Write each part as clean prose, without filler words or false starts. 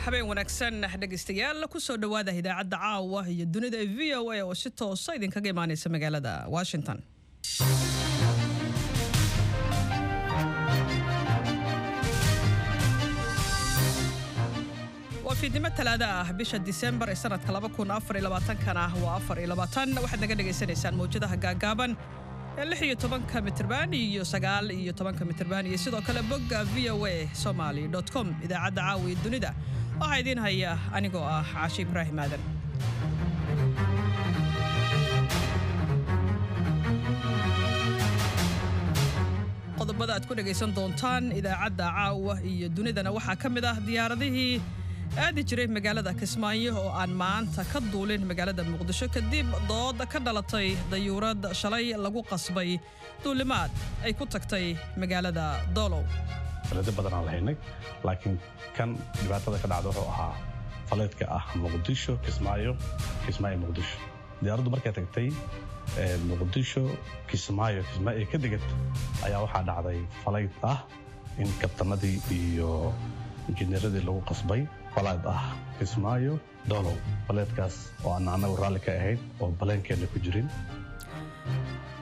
Habeen wanaagsan, dhegaystayaal. Kusoo dhowaada idaacadda caawa iyo dunida ee VOA oo si toosa idinkaga imaaneysa magaalada Washington. Waa fiidnimo Talaada ah, bisha Disembar ee sanadka kana waa 24. Waxaad naga dhagaysanaysaan mawjadaha gaagaaban ee 16-ka mitirban iyo 19-ka mitirban iyo sidoo kale bogga voasomali.com. Idaacadda caawa iyo dunida waxaa idiin haya anigoo ah Caashi Ibraahim Aadan. Qodobada aad ku dhagaysan doontaan idaacadda caawa iyo dunidana waxaa ka mid ah diyaaradihii aadi jiray magaalada Kismaayo oo aan maanta ka duulin magaalada Muqdisho kadib dood ka dhalatay dayuurad shalay lagu qasbay duulimaad ay ku tagtay magaalada Doolow. Faleedyo badan aan lahaynay, laakiin kan dhibaatada ka dhacda wuxuu ahaa faleedka ah Muqdisho Kismaayo, Kismaayo Muqdisho. Diyaaraddu markay tagtay Muqdisho Kismaayo, Kismaayo ka degad ayaa waxaa dhacday falayd ah in kabtanadii iyo injineeradii lagu qasbay falayd ah Kismaayo Doolow, faleedkaas oo aan annagu raalli ka ahayn oo baleenkeenna ku jirin.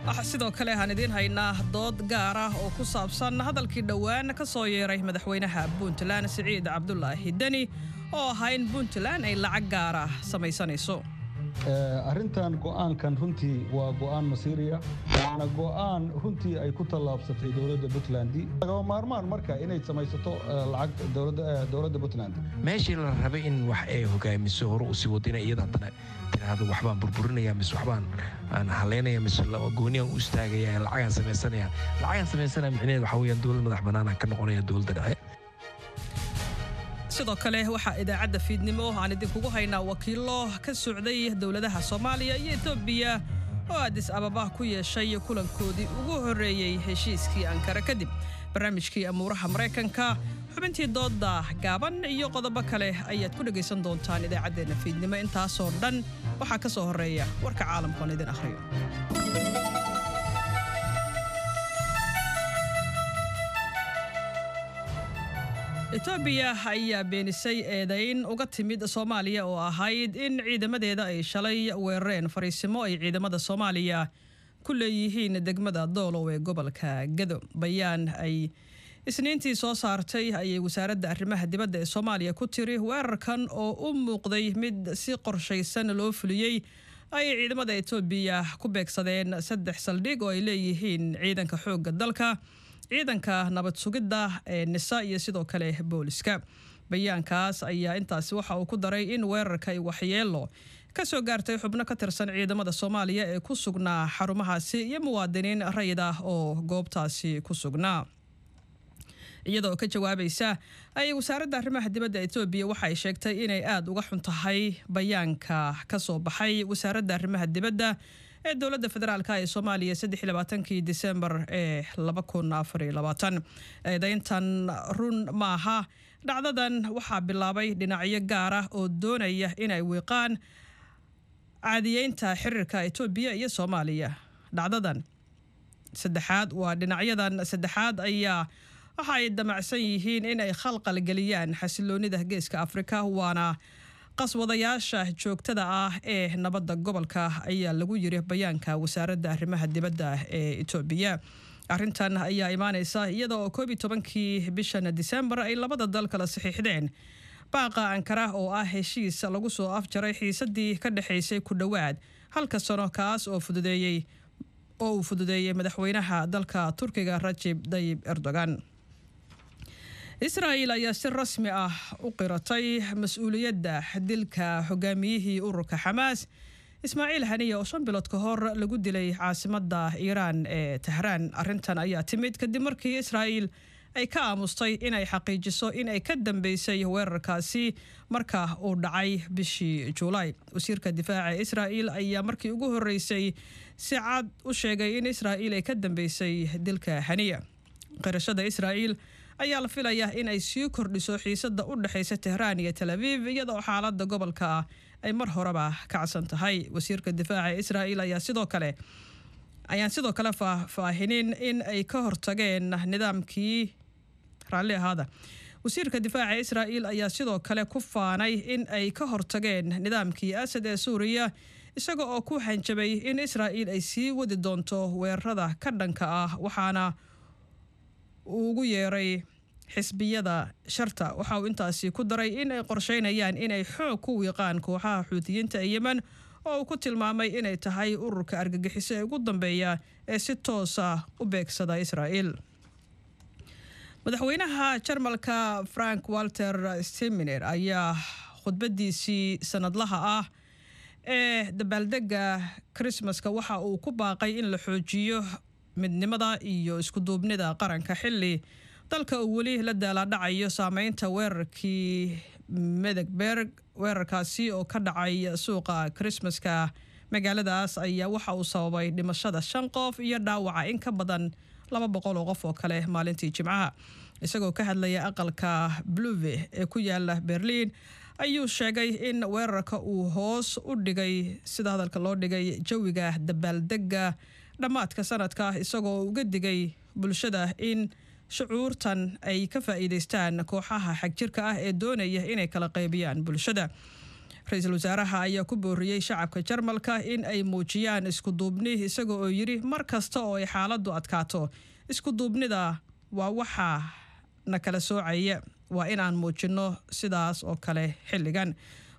Waxaa sidoo kale aan idiin haynaa dood gaar ah oo ku saabsan hadalkii dhowaan ka soo yeeray madaxweynaha Puntland, Siciid Cabdulaahi Deni, oo ahaa in Puntland ay lacag gaara samaysanayso. Arrintan, go'aankan runtii waa go'aan masiiriya, waana go'aan runtii ay ku tallaabsatay dowladda Puntland. Lagama maarmaan marka inay samaysato lacag dowladda Puntland. Meeshii la rabay in wax ay hogaamiso, hore usii wadina, iyada haddana tiraahdo waxbaan burburinaya mise waxbaan aan haleynaya mise gooniyan u istaagaya, lacagaan samaysanaya. Lacagaan samaysanaya micnaheed waxaa weeyaan dowlad madax bannaanaan ka noqonaya dowladda dhexe. Sidoo kale waxaa idaacadda fiidnimo aan idinkugu haynaa wakiillo ka socday dowladaha Soomaaliya iyo Etoobiya oo Adis Ababa ku yeeshay kulankoodii ugu horreeyey heshiiskii Ankara kadib, barnaamijkii amuuraha Maraykanka, xubintii doodda gaaban iyo qodobo kale ayaad ku dhegaysan doontaan idaacaddeenna fiidnimo. Intaasoo dhan waxaa ka soo horreeya warka caalamka oon idin akhriyo. Etoobiya ayaa beenisay eedayn uga timid Soomaaliya oo ahayd in ciidamadeeda ay shalay weerareen fariisimo ay ciidamada Soomaaliya ku leeyihiin degmada Doolow ee gobolka Gado. Bayaan ay Isniintii soo saartay ayay wasaaradda arrimaha dibadda ee Soomaaliya ku tiri weerarkan oo u muuqday mid si qorshaysan loo fuliyey ayay ciidamada Etoobiya ku beegsadeen saddex saldhig oo ay leeyihiin ciidanka xoogga dalka, ciidanka nabad sugidda ee NISA iyo sidoo kale booliska. Bayaankaas ayaa intaasi waxa uu ku daray in weerarka ay waxyeelo ka soo gaartay xubno ka tirsan ciidamada Soomaaliya ee ku sugnaa xarumahaasi iyo muwaadiniin rayid ah oo goobtaasi ku sugnaa. Iyadoo ka jawaabaysa ayay wasaaradda arrimaha dibadda Etoobiya waxay sheegtay inay aada uga xun tahay bayaanka ka soo baxay wasaaradda arrimaha dibadda ee dowladda federaalka ee Soomaaliya 23-kii Disembar ee 2024. Eedayntan run maaha. Dhacdadan waxaa bilaabay dhinacyo gaar ah oo doonaya inay wiiqaan caadiyeynta xiriirka Etoobiya iyo Soomaaliya. Dhacdadan saddexaad waa dhinacyadan saddexaad ayaa waxa ay damacsan yihiin in ay khalqal geliyaan xasiloonida Geeska Afrika, waana qaswadayaasha joogtada ah ee nabadda gobolka, ayaa lagu yiri bayaanka wasaaradda arrimaha dibadda ee Etoobiya. Arrintan ayaa imaaneysa iyada oo 11-kii bishan Disembar ay labada dal kala saxiixdeen baaqa Ankara oo ah heshiis lagu soo afjaray xiisadii ka dhexaysay ku dhowaad halka sano, kaas oo fududeeyey oo uu fududeeyey madaxweynaha dalka Turkiga, Rajib Dayib Erdogan. Israa'il ayaa si rasmi ah u qiratay mas-uuliyadda dilka hogaamiyihii ururka Xamaas, Ismaaciil Haniya, oo 5 bilood ka hor lagu dilay caasimadda Iiraan ee Tahraan. Arrintan ayaa timid kadib markii Israa'il ay ka aamustay inay xaqiijiso in ay ka dambeysay weerarkaasi marka uu dhacay bishii Juulaay. Wasiirka difaaca Israa'il ayaa markii ugu horreysay si cad u sheegay in Israa'il ay ka dambeysay dilka Haniya. Qirashada Israa'il ayaa la filayaa in ay sii kordhiso xiisadda u dhexaysa Tehraan iyo Tel Aviv, iyadoo xaaladda gobolka ay mar horeba kacsan tahay. Wasiirka difaaca Israa'il ayaa sidoo kale ayaan sidoo kale faahfaahinin in ay ka hortageen nidaamkii. Raalli ahaada. Wasiirka difaaca Israa'iil ayaa sidoo kale ku faanay in ay ka hortageen nidaamkii Asad ee Suuriya, isaga oo ku hanjabay in Israa'iil ay sii wadi doonto weerarada ka dhanka ah, waxaana uu ugu yeeray xisbiyada sharta. Waxa uu intaasi ku daray in ay qorsheynayaan inay xoog ku wiiqaan kooxaha Xuutiyiinta ee Yemen, oo uu ku tilmaamay inay tahay ururka argagixiso ee ugu dambeeya ee si toosa u beegsada Israa'iil. Madaxweynaha Jarmalka Frank Walter Steminer ayaa khudbadiisii sanadlaha ah ee dabaaldega Krismaska waxa uu ku baaqay in la xoojiyo midnimada iyo iskuduubnida qaranka, xilli dalka uu weli la daalaadhacayo saameynta weerarkii Medegberg. Weerarkaasi oo ka dhacay suuqa Krismaska magaaladaas ayaa waxa uu sababay dhimashada shan qof iyo dhaawaca in ka badan 200 oo qof oo kale maalintii Jimcaha. Isagoo ka hadlaya aqalka Bluve ee ku yaala Berliin ayuu sheegay in weerarka uu hoos u dhigay, sida hadalka loo dhigay, jawiga dabaaldega dhammaadka sanadka, isagoo uga digay bulshada in shucuurtan ay ka faa'iidaystaan kooxaha xagjirka ah ee doonaya inay kala qaybiyaan bulshada. Ra-iisul wasaaraha ayaa ku booriyey shacabka Jarmalka in ay muujiyaan iskuduubni, isaga oo yidhi: "Mar kasta oo ay xaaladdu adkaato, iskuduubnida waa waxa na kala soocaya. Waa inaan muujinno sidaas oo kale xilligan."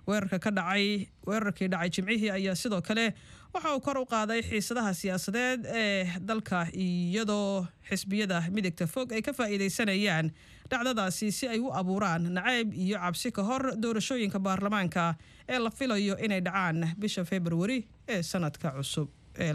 Weerarka ka dhacay weerarkii dhacay Jimcihii ayaa sidoo kale waxa uu kor u qaaday xiisadaha siyaasadeed ee dalka, iyadoo xisbiyada midigta fog ay ka faa'iidaysanayaan dhacdadaasi si ay u abuuraan nacayb iyo cabsi ka hor doorashooyinka baarlamaanka ee la filayo inay dhacaan bisha Februari ee sanadka cusub ee.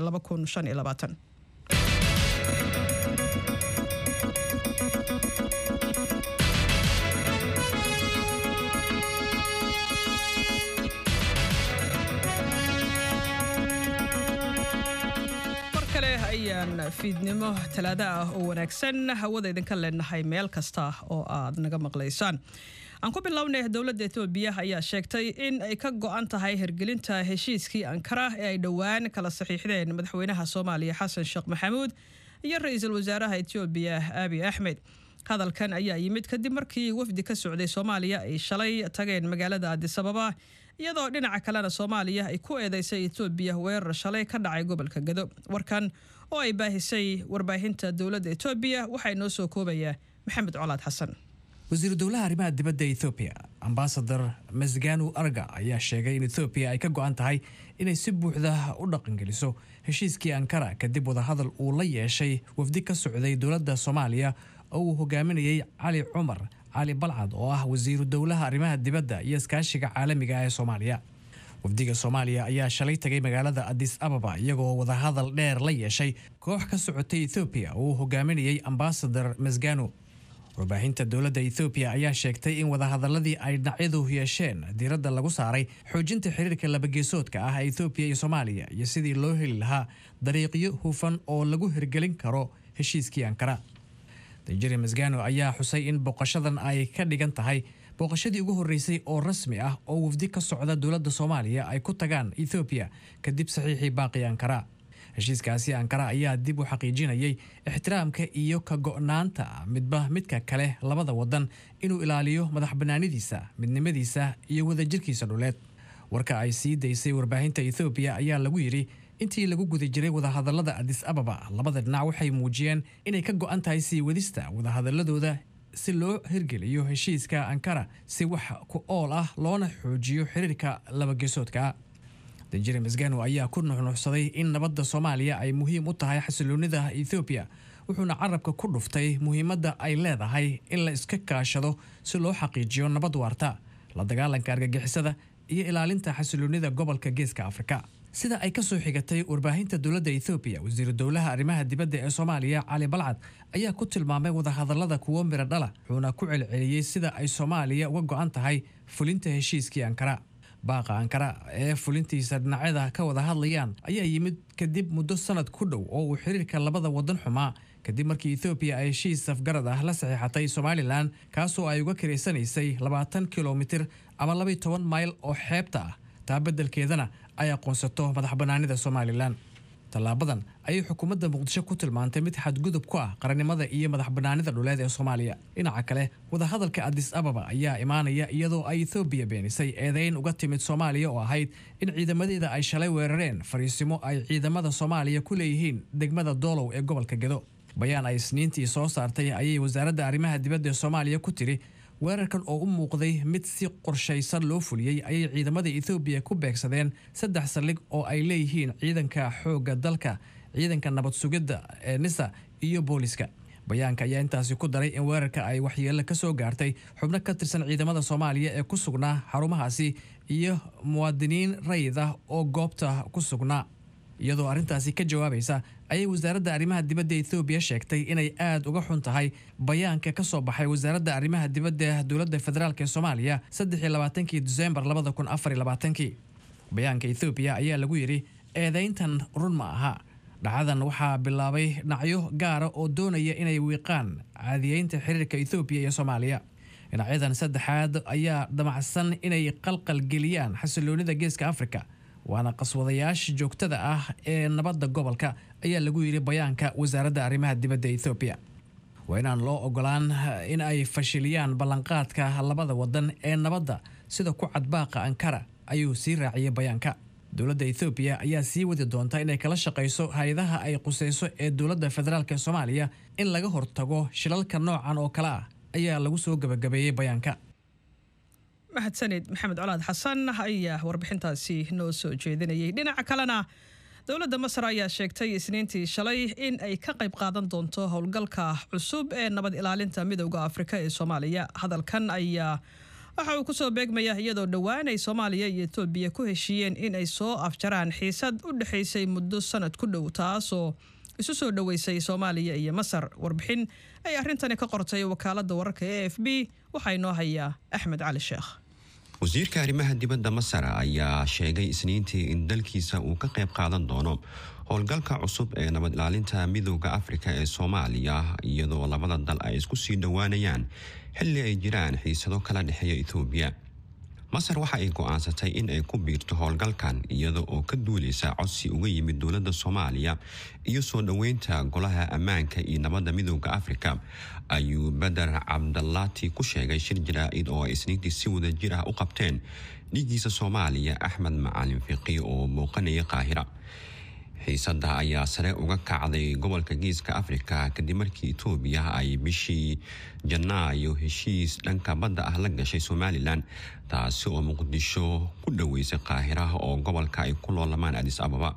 Ayaan fiidnimo Talaado ah oo wanaagsan hawada idinka leenahay meel kasta oo aad naga maqlaysaan. Aan ku bilownay, dowladda Etoobiya ayaa sheegtay in ay ka go-an tahay hirgelinta heshiiskii Ankara ee ay dhowaan kala saxiixdeen madaxweynaha Soomaaliya Xasan Sheekh Maxamuud iyo ra-iisul wasaaraha Etoobiya Abiy Axmed. Hadalkan ayaa yimid kadib markii wafdi ka socday Soomaaliya ay shalay tageen magaalada Adisababa, iyadoo dhinaca kalena Soomaaliya ay ku eedeysay Etoobiya weerar shalay ka dhacay gobolka Gado. Warkan oo ay baahisay warbaahinta dowladda Etoobiya waxaa inoo soo koobaya Maxamed Colaad Xasan. Wasiiru dowlaha arrimaha dibadda Ethoobiya, Ambasador Mesganu Arga, ayaa sheegay in Ethoobiya ay ka go-an tahay inay si buuxda u dhaqangeliso heshiiskii Ankara, kadib wadahadal uu la yeeshay wafdi ka socday dowladda Soomaaliya oo uu hogaaminayay Cali Cumar Cali Balcad, oo ah wasiiru dowlaha arrimaha dibadda iyo iskaashiga caalamiga ah ee Soomaaliya. Wafdiga Soomaaliya ayaa shalay tagay magaalada Adis Ababa, iyagoo wadahadal dheer la yeeshay koox ka socotay Ethoobiya oo uu hogaaminayay Ambasador Mesganu. Warbaahinta dowladda Ethoobiya ayaa sheegtay in wadahadaladii ay dhinacyadu yeesheen diiradda lagu saaray xoojinta xiriirka labageesoodka ah ee Ethoobiya iyo Soomaaliya iyo sidii loo heli lahaa dariiqyo hufan oo lagu hirgelin karo heshiiskii Ankara. Danjiri Masgano ayaa xusay in booqashadan ay ka dhigan tahay booqashadii ugu horreysay oo rasmi ah oo wafdi ka socda dowladda Soomaaliya ay ku tagaan Ethoobiya kadib saxiixii baaqi Ankara. Heshiiskaasi Ankara ayaa dib u xaqiijinayay ixtiraamka iyo ka go'naanta midba midka kale labada wadan inuu ilaaliyo madax bannaanidiisa, midnimadiisa iyo wadajirkiisa dhuleed. Warka ay sii daysay warbaahinta Ethoobiya ayaa lagu yidhi: intii lagu guda jiray wadahadalada Adis Ababa, labada dhinac waxay muujiyeen inay ka go'an tahay sii wadista wadahadaladooda si loo hirgeliyo heshiiska Ankara si wax ku ool ah, loona xoojiyo xiriirka labageesoodka. Danjire Masgano ayaa ku nuxnuxsaday in nabadda Soomaaliya ay muhiim u tahay xasiloonida Ethoobiya, wuxuuna carabka ku dhuftay muhiimadda ay leedahay in la iska kaashado si loo xaqiijiyo nabad waarta, la dagaalanka argagixisada iyo ilaalinta xasiloonida gobolka Geeska Afrika. Sida ay ka soo xigatay warbaahinta dowladda Ethoobiya, wasiiru dowlaha arrimaha dibadda ee Soomaaliya Cali Balcad ayaa ku tilmaamay wadahadalada kuwo miro dhala, wuxuuna ku celceliyey sida ay Soomaaliya uga go'an tahay fulinta heshiiskii Ankara. Baaqa Ankara ee fulintiisa dhinacyada ka wada hadlayaan ayaa yimid kadib muddo sanad ku dhow oo uu xiriirka labada wadan xumaa, kadib markii Ethoobiya ay heshiis safgarad ah la saxiixatay Somalilan, kaasoo ay uga kiraysanaysay 20 kilomitir ama 12 mayl oo xeebta ah, taa beddelkeedana ay aqoonsato madax bannaanida Somalilan. Tallaabadan ayay xukuumadda Muqdisho ku tilmaantay mid xadgudub ku ah qarannimada iyo madax bannaanida dhuleed ee Soomaaliya. Dhinaca kale, wadahadalka Adis Ababa ayaa imaanaya iyadoo ay Ethoobiya beenisay eedeyn uga timid Soomaaliya oo ahayd in ciidamadeeda ay shalay weerareen fariisimo ay ciidamada Soomaaliya ku leeyihiin degmada Doolow ee gobolka Gedo. Bayaan ay Isniintii soo saartay ayay wasaaradda arrimaha dibadda ee Soomaaliya ku tiri: weerarkan oo u muuqday mid si qorshaysan loo fuliyey ayay ciidamada Ethoobiya ku beegsadeen saddex saldhig oo ay leeyihiin ciidanka xoogga dalka, ciidanka nabad sugidda ee NISA iyo booliska. Bayaanka ayaa intaasi ku daray in weerarka ay waxyeello ka soo gaartay xubno ka tirsan ciidamada Soomaaliya ee ku sugnaa xarumahaasi iyo muwaadiniin rayid ah oo goobta ku sugnaa. Iyadoo arrintaasi ka jawaabaysa ayay wasaaradda arrimaha dibadda Ethoobiya sheegtay inay aada uga xun tahay bayaanka ka soo baxay wasaaradda arrimaha dibadda dowladda federaalk ee Soomaaliya 23-kii Disembar 2024-kii. Bayaanka Ethoobiya ayaa lagu yidhi: eedayntan run ma aha. Dhacdadan waxaa bilaabay dhinacyo gaara oo doonaya inay wiiqaan caadiyeynta xiriirka Ethoobiya iyo Soomaaliya. Dhinacyadan saddexaad ayaa damacsan inay qalqalgeliyaan xasiloonida Geeska Afrika, waana qaswadayaasha joogtada ah ee nabadda gobolka, ayaa lagu yidhi bayaanka wasaaradda arrimaha dibadda Ethoobiya. Waa inaan loo ogolaan in ay fashiliyaan ballanqaadka labada wadan ee nabadda sida ku cad baaqa Ankara, ayuu sii raaciyey bayaanka. Dowladda Ethoobiya ayaa sii wadi doonta inay kala shaqayso hay-adaha ay quseyso ee dowladda federaalk ee Soomaaliya in laga hortago shilalka noocan oo kale ah, ayaa lagu soo gabagabeeyey bayaanka. Mahadsanid Maxamed Colaad Xasan ayaa warbixintaasi noo soo jeedinayay. Dhinaca kalena, dowladda Masar ayaa sheegtay Isniintii shalay in ay ka qayb qaadan doonto howlgalka cusub ee nabad ilaalinta Midowda Afrika ee Soomaaliya. Hadalkan ayaa waxa uu kusoo beegmaya iyadoo dhowaan ay Soomaaliya iyo Etoobiya ku heshiiyeen in ay soo afjaraan xiisad u dhexaysay muddo sanad ku dhow, taasoo isu soo dhoweysay Soomaaliya iyo Masar. Warbixin ay arrintani ka qortay wakaaladda wararka AFP waxaa inoo hayaa Axmed Cali Sheekh. Wasiirka arrimaha dibadda Masar ayaa sheegay Isniintii in dalkiisa uu ka qayb qaadan doono howlgalka cusub ee nabad ilaalinta Midowda Afrika ee Soomaaliya, iyadoo labada dal ay isku sii dhowaanayaan xilli ay jiraan xiisado kala dhexeeya Etoobiya. Masar waxa ay go-aansatay in ay ku biirto howlgalkan iyada oo ka duuleysa codsi uga yimid dowladda Soomaaliya iyo soo dhoweynta Golaha Ammaanka iyo Nabadda Midowda Afrika, ayuu Beder Cabdalaati ku sheegay shir jaraa-id oo ay Isniintii si wada jir ah u qabteen dhiiggiisa Soomaaliya Axmed Macalin Fiqi oo muuqanaya Qaahira. Xiisada ayaa sare uga kacday gobolka Geeska Afrika kadib markii Itoobiya ay bishii Janaayo heshiis dhanka badda ah la gashay Somaliland, taasi oo Muqdisho ku dhoweysay Qaahiraha oo gobolka ay ku loolamaan Adis Ababa.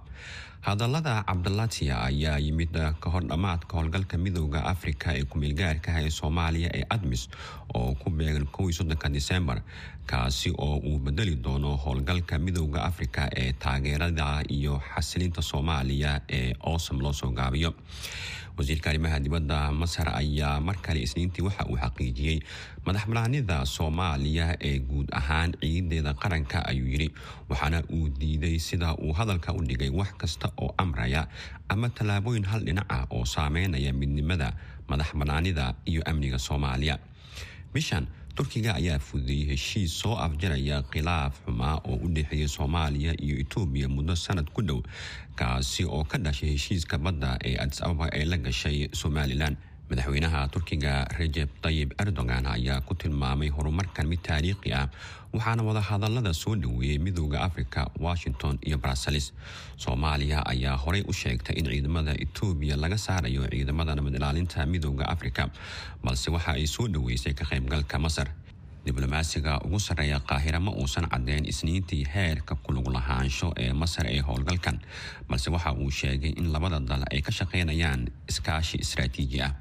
Hadallada Cabdalatia ayaa yimid ka hor dhammaadka howlgalka Midowda Afrika ee kumeelgaarka ah ee Soomaaliya ee ATMIS oo ku beegan 31-ka Disembar, kaasi oo uu bedeli doono howlgalka Midowda Afrika ee taageerada iyo xasilinta Soomaaliya ee AUSSOM loo soo gaabiyo. Wasiirka arrimaha dibadda Masar ayaa mar kale Isniintii waxa uu xaqiijiyey madaxbanaanida Soomaaliya ee guud ahaan ciideeda qaranka, ayuu yidhi, waxaana uu diiday, sida uu hadalka u dhigay, wax kasta oo amraya ama tallaabooyin hal dhinac ah oo saameynaya midnimada, madaxbanaanida iyo amniga Soomaaliya. Bishan Turkiga ayaa fududeeyey heshiis soo afjaraya khilaaf xumaa oo u dhexeeya Soomaaliya iyo Itoobiya muddo sanad ku dhow, kaasi oo ka dhashay heshiiska badda ee Adis Ababa ee la gashay Somaliland. Madaxweynaha Turkiga Rajeb Tayib Erdogan ayaa ku tilmaamay horumarkan mid taariikhi ah, waxaana wadahadalada soo dhoweeyey Midowda Africa, Washington iyo Brussels. Soomaaliya ayaa horey u sheegtay in ciidamada Etoobiya laga saarayo ciidamada nabad ilaalinta Midowda Afrika, balse waxa ay soo dhoweysay ka qaybgalka Masar. Diblomaasiga ugu sarreeya Qaahira ma uusan caddeyn Isniintii heerka kulug lahaansho ee Masar ee howlgalkan, balse waxa uu sheegay in labada dal ay ka shaqeynayaan iskaashi istaraatiiji ah.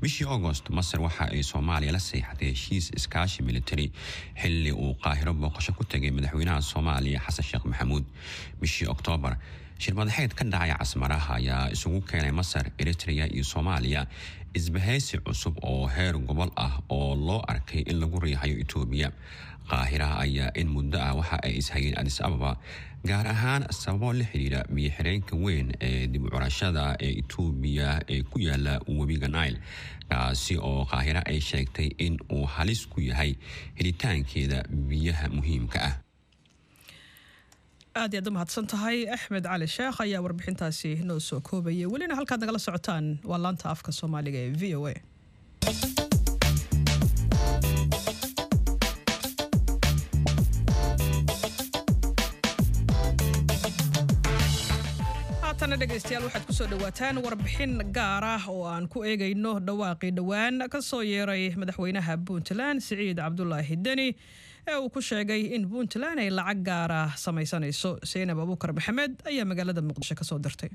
Bishii Agost, Masar waxa ay Soomaaliya la seexatay heshiis iskaashi military xilli uu Qaahiro booqasho ku tegay madaxweynaha Soomaaliya Xasan Sheekh Maxamuud. Bishii Oktoobar, shirmadaxeed ka dhacay Casmaraha ayaa isugu keenay Masar, Eritrea iyo Soomaaliya isbahaysi cusub oo heer gobol ah oo loo arkay in lagu riixayo Itoobiya. Qaahiraha ayaa in muddo ah waxa ay ishayeen Adis Ababa, gaar ahaan sababo la xiriira biyo-xireenka weyn ee dib u curashada ee Itoobiya ee ku yaala webiga Nile, kaasi oo Qaahira ay sheegtay in uu halis ku yahay helitaankeeda biyaha muhiimka ah. Aad iyaad u mahadsan tahay. Axmed Cali Sheekh ayaa warbixintaasi noo soo koobayay. Welina halkaad nagala socotaan waa laanta afka Soomaaliga ee VOA. Haatana dhegaystayaal, waxaad kusoo dhawaataan warbixin gaar ah oo aan ku eegayno dhawaaqii dhowaan ka soo yeeray madaxweynaha Puntland, Siciid Cabdulaahi Deni, ee uu ku sheegay in Puntland ay lacag gaara samaysanayso. Seynab Abuukar Maxamed ayaa magaalada Muqdisho ka soo dirtay.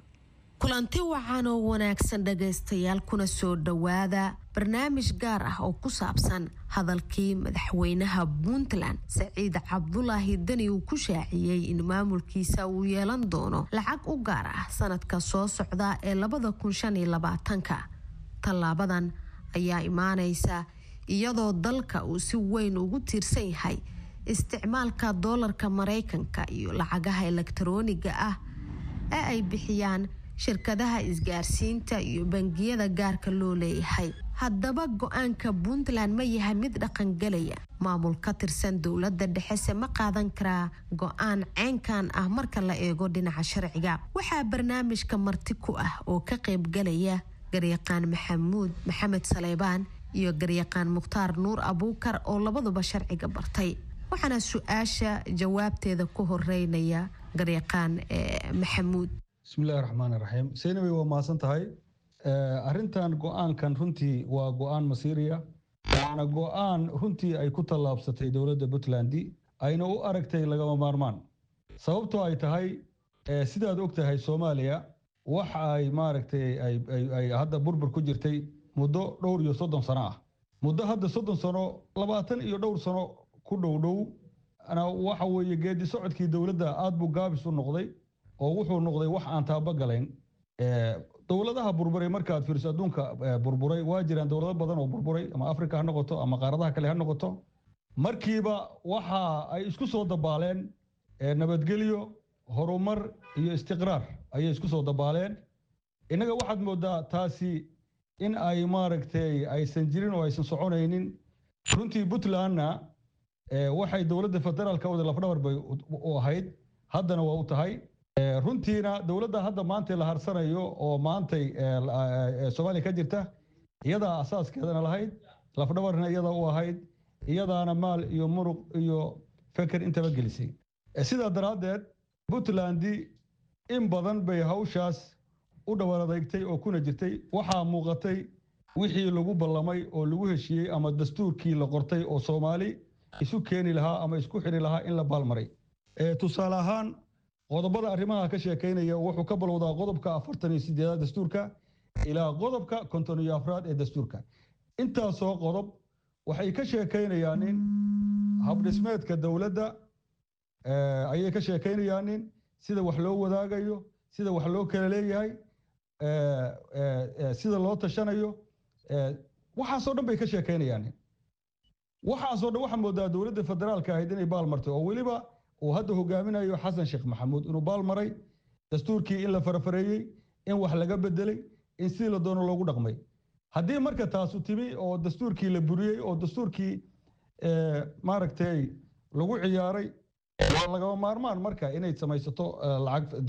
Kulanti wacan oo wanaagsan dhagaystayaal, kuna soo dhowaada barnaamij gaar ah oo ku saabsan hadalkii madaxweynaha Puntland, Saciid Cabdulaahi Deni, uu ku shaaciyey in maamulkiisa uu yeelan doono lacag u gaar ah sanadka soo socda ee 2025-ka. Tallaabadan ayaa imaaneysa iyadoo dalka uu si weyn ugu tiirsan yahay isticmaalka doolarka Mareykanka iyo lacagaha elektarooniga ah ee ay bixiyaan shirkadaha isgaarsiinta iyo bangiyada gaarka loo leeyahay. Haddaba, go-aanka Puntland ma yahay mid dhaqangelaya? Maamul ka tirsan dowladda dhexese ma qaadan karaa go-aan ceynkan ah marka la eego dhinaca sharciga? Waxaa barnaamijka marti ku ah oo ka qaybgalaya garyaqaan Maxamuud Maxamed Saleybaan iyo garyaqaan Mukhtaar Nuur Abuukar oo labaduba sharciga bartay, waxaana su-aasha jawaabteeda ku horeynaya garyaqaan Maxamuud. Bismillahi raxmaan raxiim. Seynabey, waa mahadsan tahay. Arrintan go-aankan runtii waa go-aan masiiriya, waana go-aan runtii ay ku tallaabsatay dowladda Puntland, ayna u aragtay lagama maarmaan. Sababtoo ay tahay, sidaad og tahay, Soomaaliya waxa ay maaragtay ay hadda burbur ku jirtay muddo dhowr iyo 30 sano ah, muddo hadda 30 sano, 20 iyo dhowr sano ku dhow dhow. Waxa weeye geedi socodkii dowladda aad buu gaabis u noqday oo wuxuu noqday wax aan taabo galayn. Dowladaha burburay markaad fiiriso, adduunka burburay, waa jiraan dowlado badan oo burburay, ama Africa ha noqoto ama qaaradaha kale ha noqoto, markiiba waxa ay isku soo dabaaleen nabadgelyo, horumar iyo istiqraar ayay isku soo dabaaleen. Innaga waxaad moodaa taasi in ay maaragtay aysan jirin oo aysan soconaynin runtii. Puntlandna waxay dowladda federaalka wada lafdhabar bay u ahayd, haddana waa u tahay runtiina. Dowladda hadda maantay la harsanayo oo maantay Soomaaliya ka jirta, iyadaa asaaskeedana lahayd, lafdhabarna iyadaa u ahayd, iyadaana maal iyo muruq iyo feker intaba gelisay. Sidaa daraaddeed Puntland in badan bay hawshaas u dhawar adeegtay oo kuna jirtay. Waxaa muuqatay wixii lagu ballamay oo lagu heshiiyey ama dastuurkii la qortay oo Soomaali isu keeni lahaa ama isku xiri lahaa in la baalmaray. Tusaale ahaan, qodobada arrimaha ka sheekaynaya wuxuu ka balowdaa qodobka 48aad dastuurka ilaa qodobka 54aad ee dastuurka. Intaasoo qodob waxay ka sheekaynayaan in habdhismeedka dowladda ayay ka sheekaynayaan, in sida wax loo wadaagayo, sida wax loo kala leeyahay, sida loo tashanayo, waxaasoo dhan bay ka sheekaynayaan. Waxaasoo dhan waxaa moodaa dowladda federaalka ahayd inay baal martay, oo weliba uu hadda hogaaminayo Xasan Sheekh Maxamuud, inuu baal maray dastuurkii, in la farafareeyey, in wax laga bedelay, in sidii la doono loogu dhaqmay. Haddii marka taasu timi oo dastuurkii la buriyey oo dastuurkii maaragtay lagu ciyaaray, waa lagama maarmaan marka inay samaysato lacag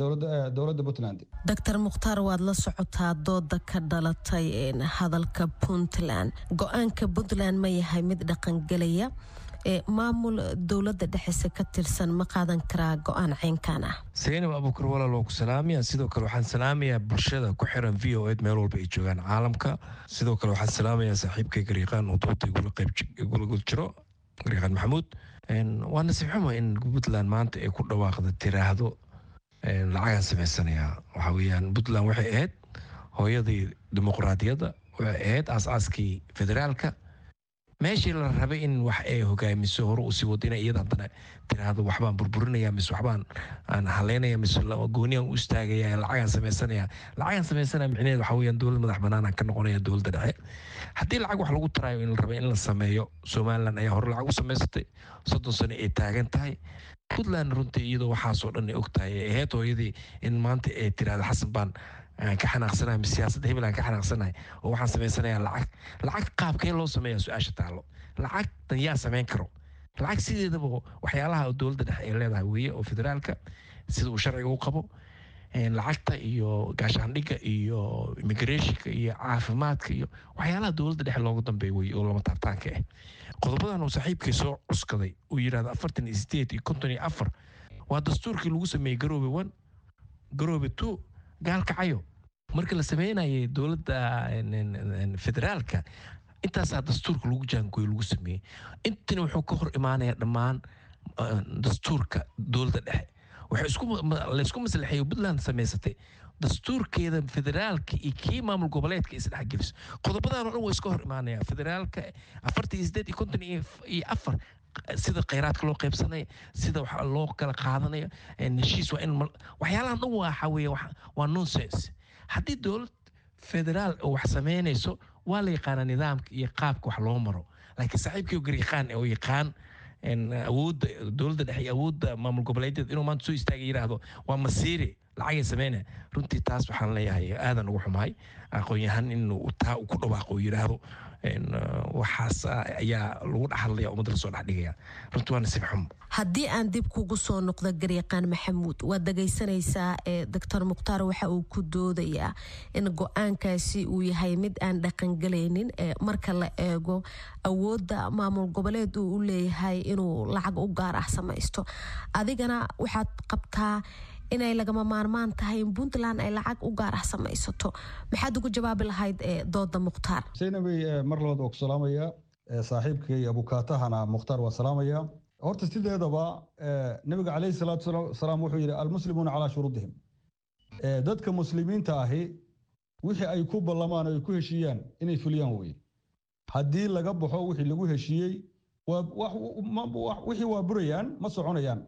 dowladda Puntland. Doctor Mukhtaar, waad la socotaa dooda ka dhalatay hadalka Puntland. Go-aanka Puntland ma yahay mid dhaqangelaya? Maamul dowladda dhexese ka tirsan ma qaadan karaa go-aan ceynkan ah? Saynab Abuukar, walaal, waa ku salaamaya. Sidoo kale waxaan salaamayaa bulshada ku xiran VOA meel walba ay joogaan caalamka. Sidoo kale waxaan salaamayaa saaxiibkay garyaqaan oo dooda igula qayb igula jiro, garyaqaan Maxamuud. Waa nasiib xumo in Puntland maanta ay ku dhawaaqda, tiraahdo lacagaan samaysanayaa. Waxa weeyaan, Puntland waxay ahayd hooyadii dimuqraadiyadda, waxay ahayd aas-aaskii federaalka, meeshii la rabay in wax ay hogaamiso, hore usii wado, inay iyada haddana tiraahdo waxbaan burburinaya mise waxbaan aan haleynaya mise gooniyaan u istaagaya, lacagaan sameysanaya. Lacagaan sameysanaya micnaheed waxa weeyaan dowlad madax bannaan aan ka noqonaya dowladda dhexe. Haddii lacag wax lagu taraayo in la rabay in la sameeyo, Somaliland ayaa hore lacag u samaysatay, 30 sano ay taagan tahay. Puntland runtii iyadoo waxaasoo dhan ay og tahay ay ahayd hooyadii, in maanta ay tiraahdo Xasan baan aan ka xanaaqsanahay mise siyaasadda hebel aan ka xanaaqsanahay oo waxaan samaysanayaa lacag. Lacag qaabkee loo sameeyaa? Su-aasha taallo, lacagtan yaa samayn karo? Lacag sideedaba waxyaalaha dowladda dhexe ay leedahay weeye oo federaalka sida uu sharciga u qabo, lacagta iyo gaashaandhigga iyo immigrationka iyo caafimaadka iyo waxyaalaha dowladda dhexe looga dambeeya wey oo lama taabtaanka ah. Qodobadan uu saaxiibkii soo cuskaday uu yidhahdo 48 iyo 54 waa dastuurkii lagu sameeyey Garoobe 1, Garoobe 2, Gaalkacayo marka la sameynayay dowladda federaalka. Intaasaa dastuurka lagu jaangooyo lagu sameeyey. Intana wuxuu ka hor imaanayaa dhammaan dastuurka dowladda dhexe. Waxay laysku maslaxeeyo Puntland samaysatay dastuurkeeda federaalka iyo kii maamul goboleedka isdhexgeliso. Qodobadan oo dhan waa iska hor imaanaya, federaalka 48 iyo 54, sida kheyraadka loo qaybsanaya, sida wax loo kala qaadanayo, heshiis waa in waxyaalahan dhan waxa weeye waa nonsense. Haddii dowlad federaal oo wax sameynayso, waa la yaqaanaa nidaamka iyo qaabka wax loo maro. Laakiin saaxiibkii garyaqaan oo yaqaan awoodda dowladda dhexe iyo awoodda maamul goboleedyada inuu maanta soo istaagay yidhaahdo waa masiiri lacagay sameynaya, runtii taas waxaan leeyahay aadan ugu xumahay aqoon-yahan inuu taa ku dhawaaqo oo yidhaahdo waxaas ayaa lagu dhexadlaya, ummadda lasoo dhexdhigaya. Runtii waa nasiib xumo. Haddii aan dib kugu soo noqdo, garyaqaan Maxamuud, waad dhagaysanaysaa ee Doctor Mukhtaar waxa uu ku doodayaa in go-aankaasi uu yahay mid aan dhaqangelaynin marka la eego awoodda maamul goboleed uu u leeyahay inuu lacag u gaar ah samaysto. Adigana waxaad qabtaa inay lagama maarmaan tahay in Puntland ay lacag u gaar ah samaysato. Maxaad ugu jawaabi lahayd dooda Mukhtaar? Saynabay, mar labaad waa ku salaamaya, saaxiibkay abukaatahana Mukhtaar waa salaamaya. Horta sideedaba Nabiga calayhi salaatu wasalaam wuxuu yidhi: "Almuslimuuna calaa shuruudihim." Dadka muslimiinta ahi wixii ay ku ballamaan oo ay ku heshiiyaan inay fuliyaan weye. Haddii laga baxo wixii lagu heshiiyey, wixii waa burayaan, ma soconayaan.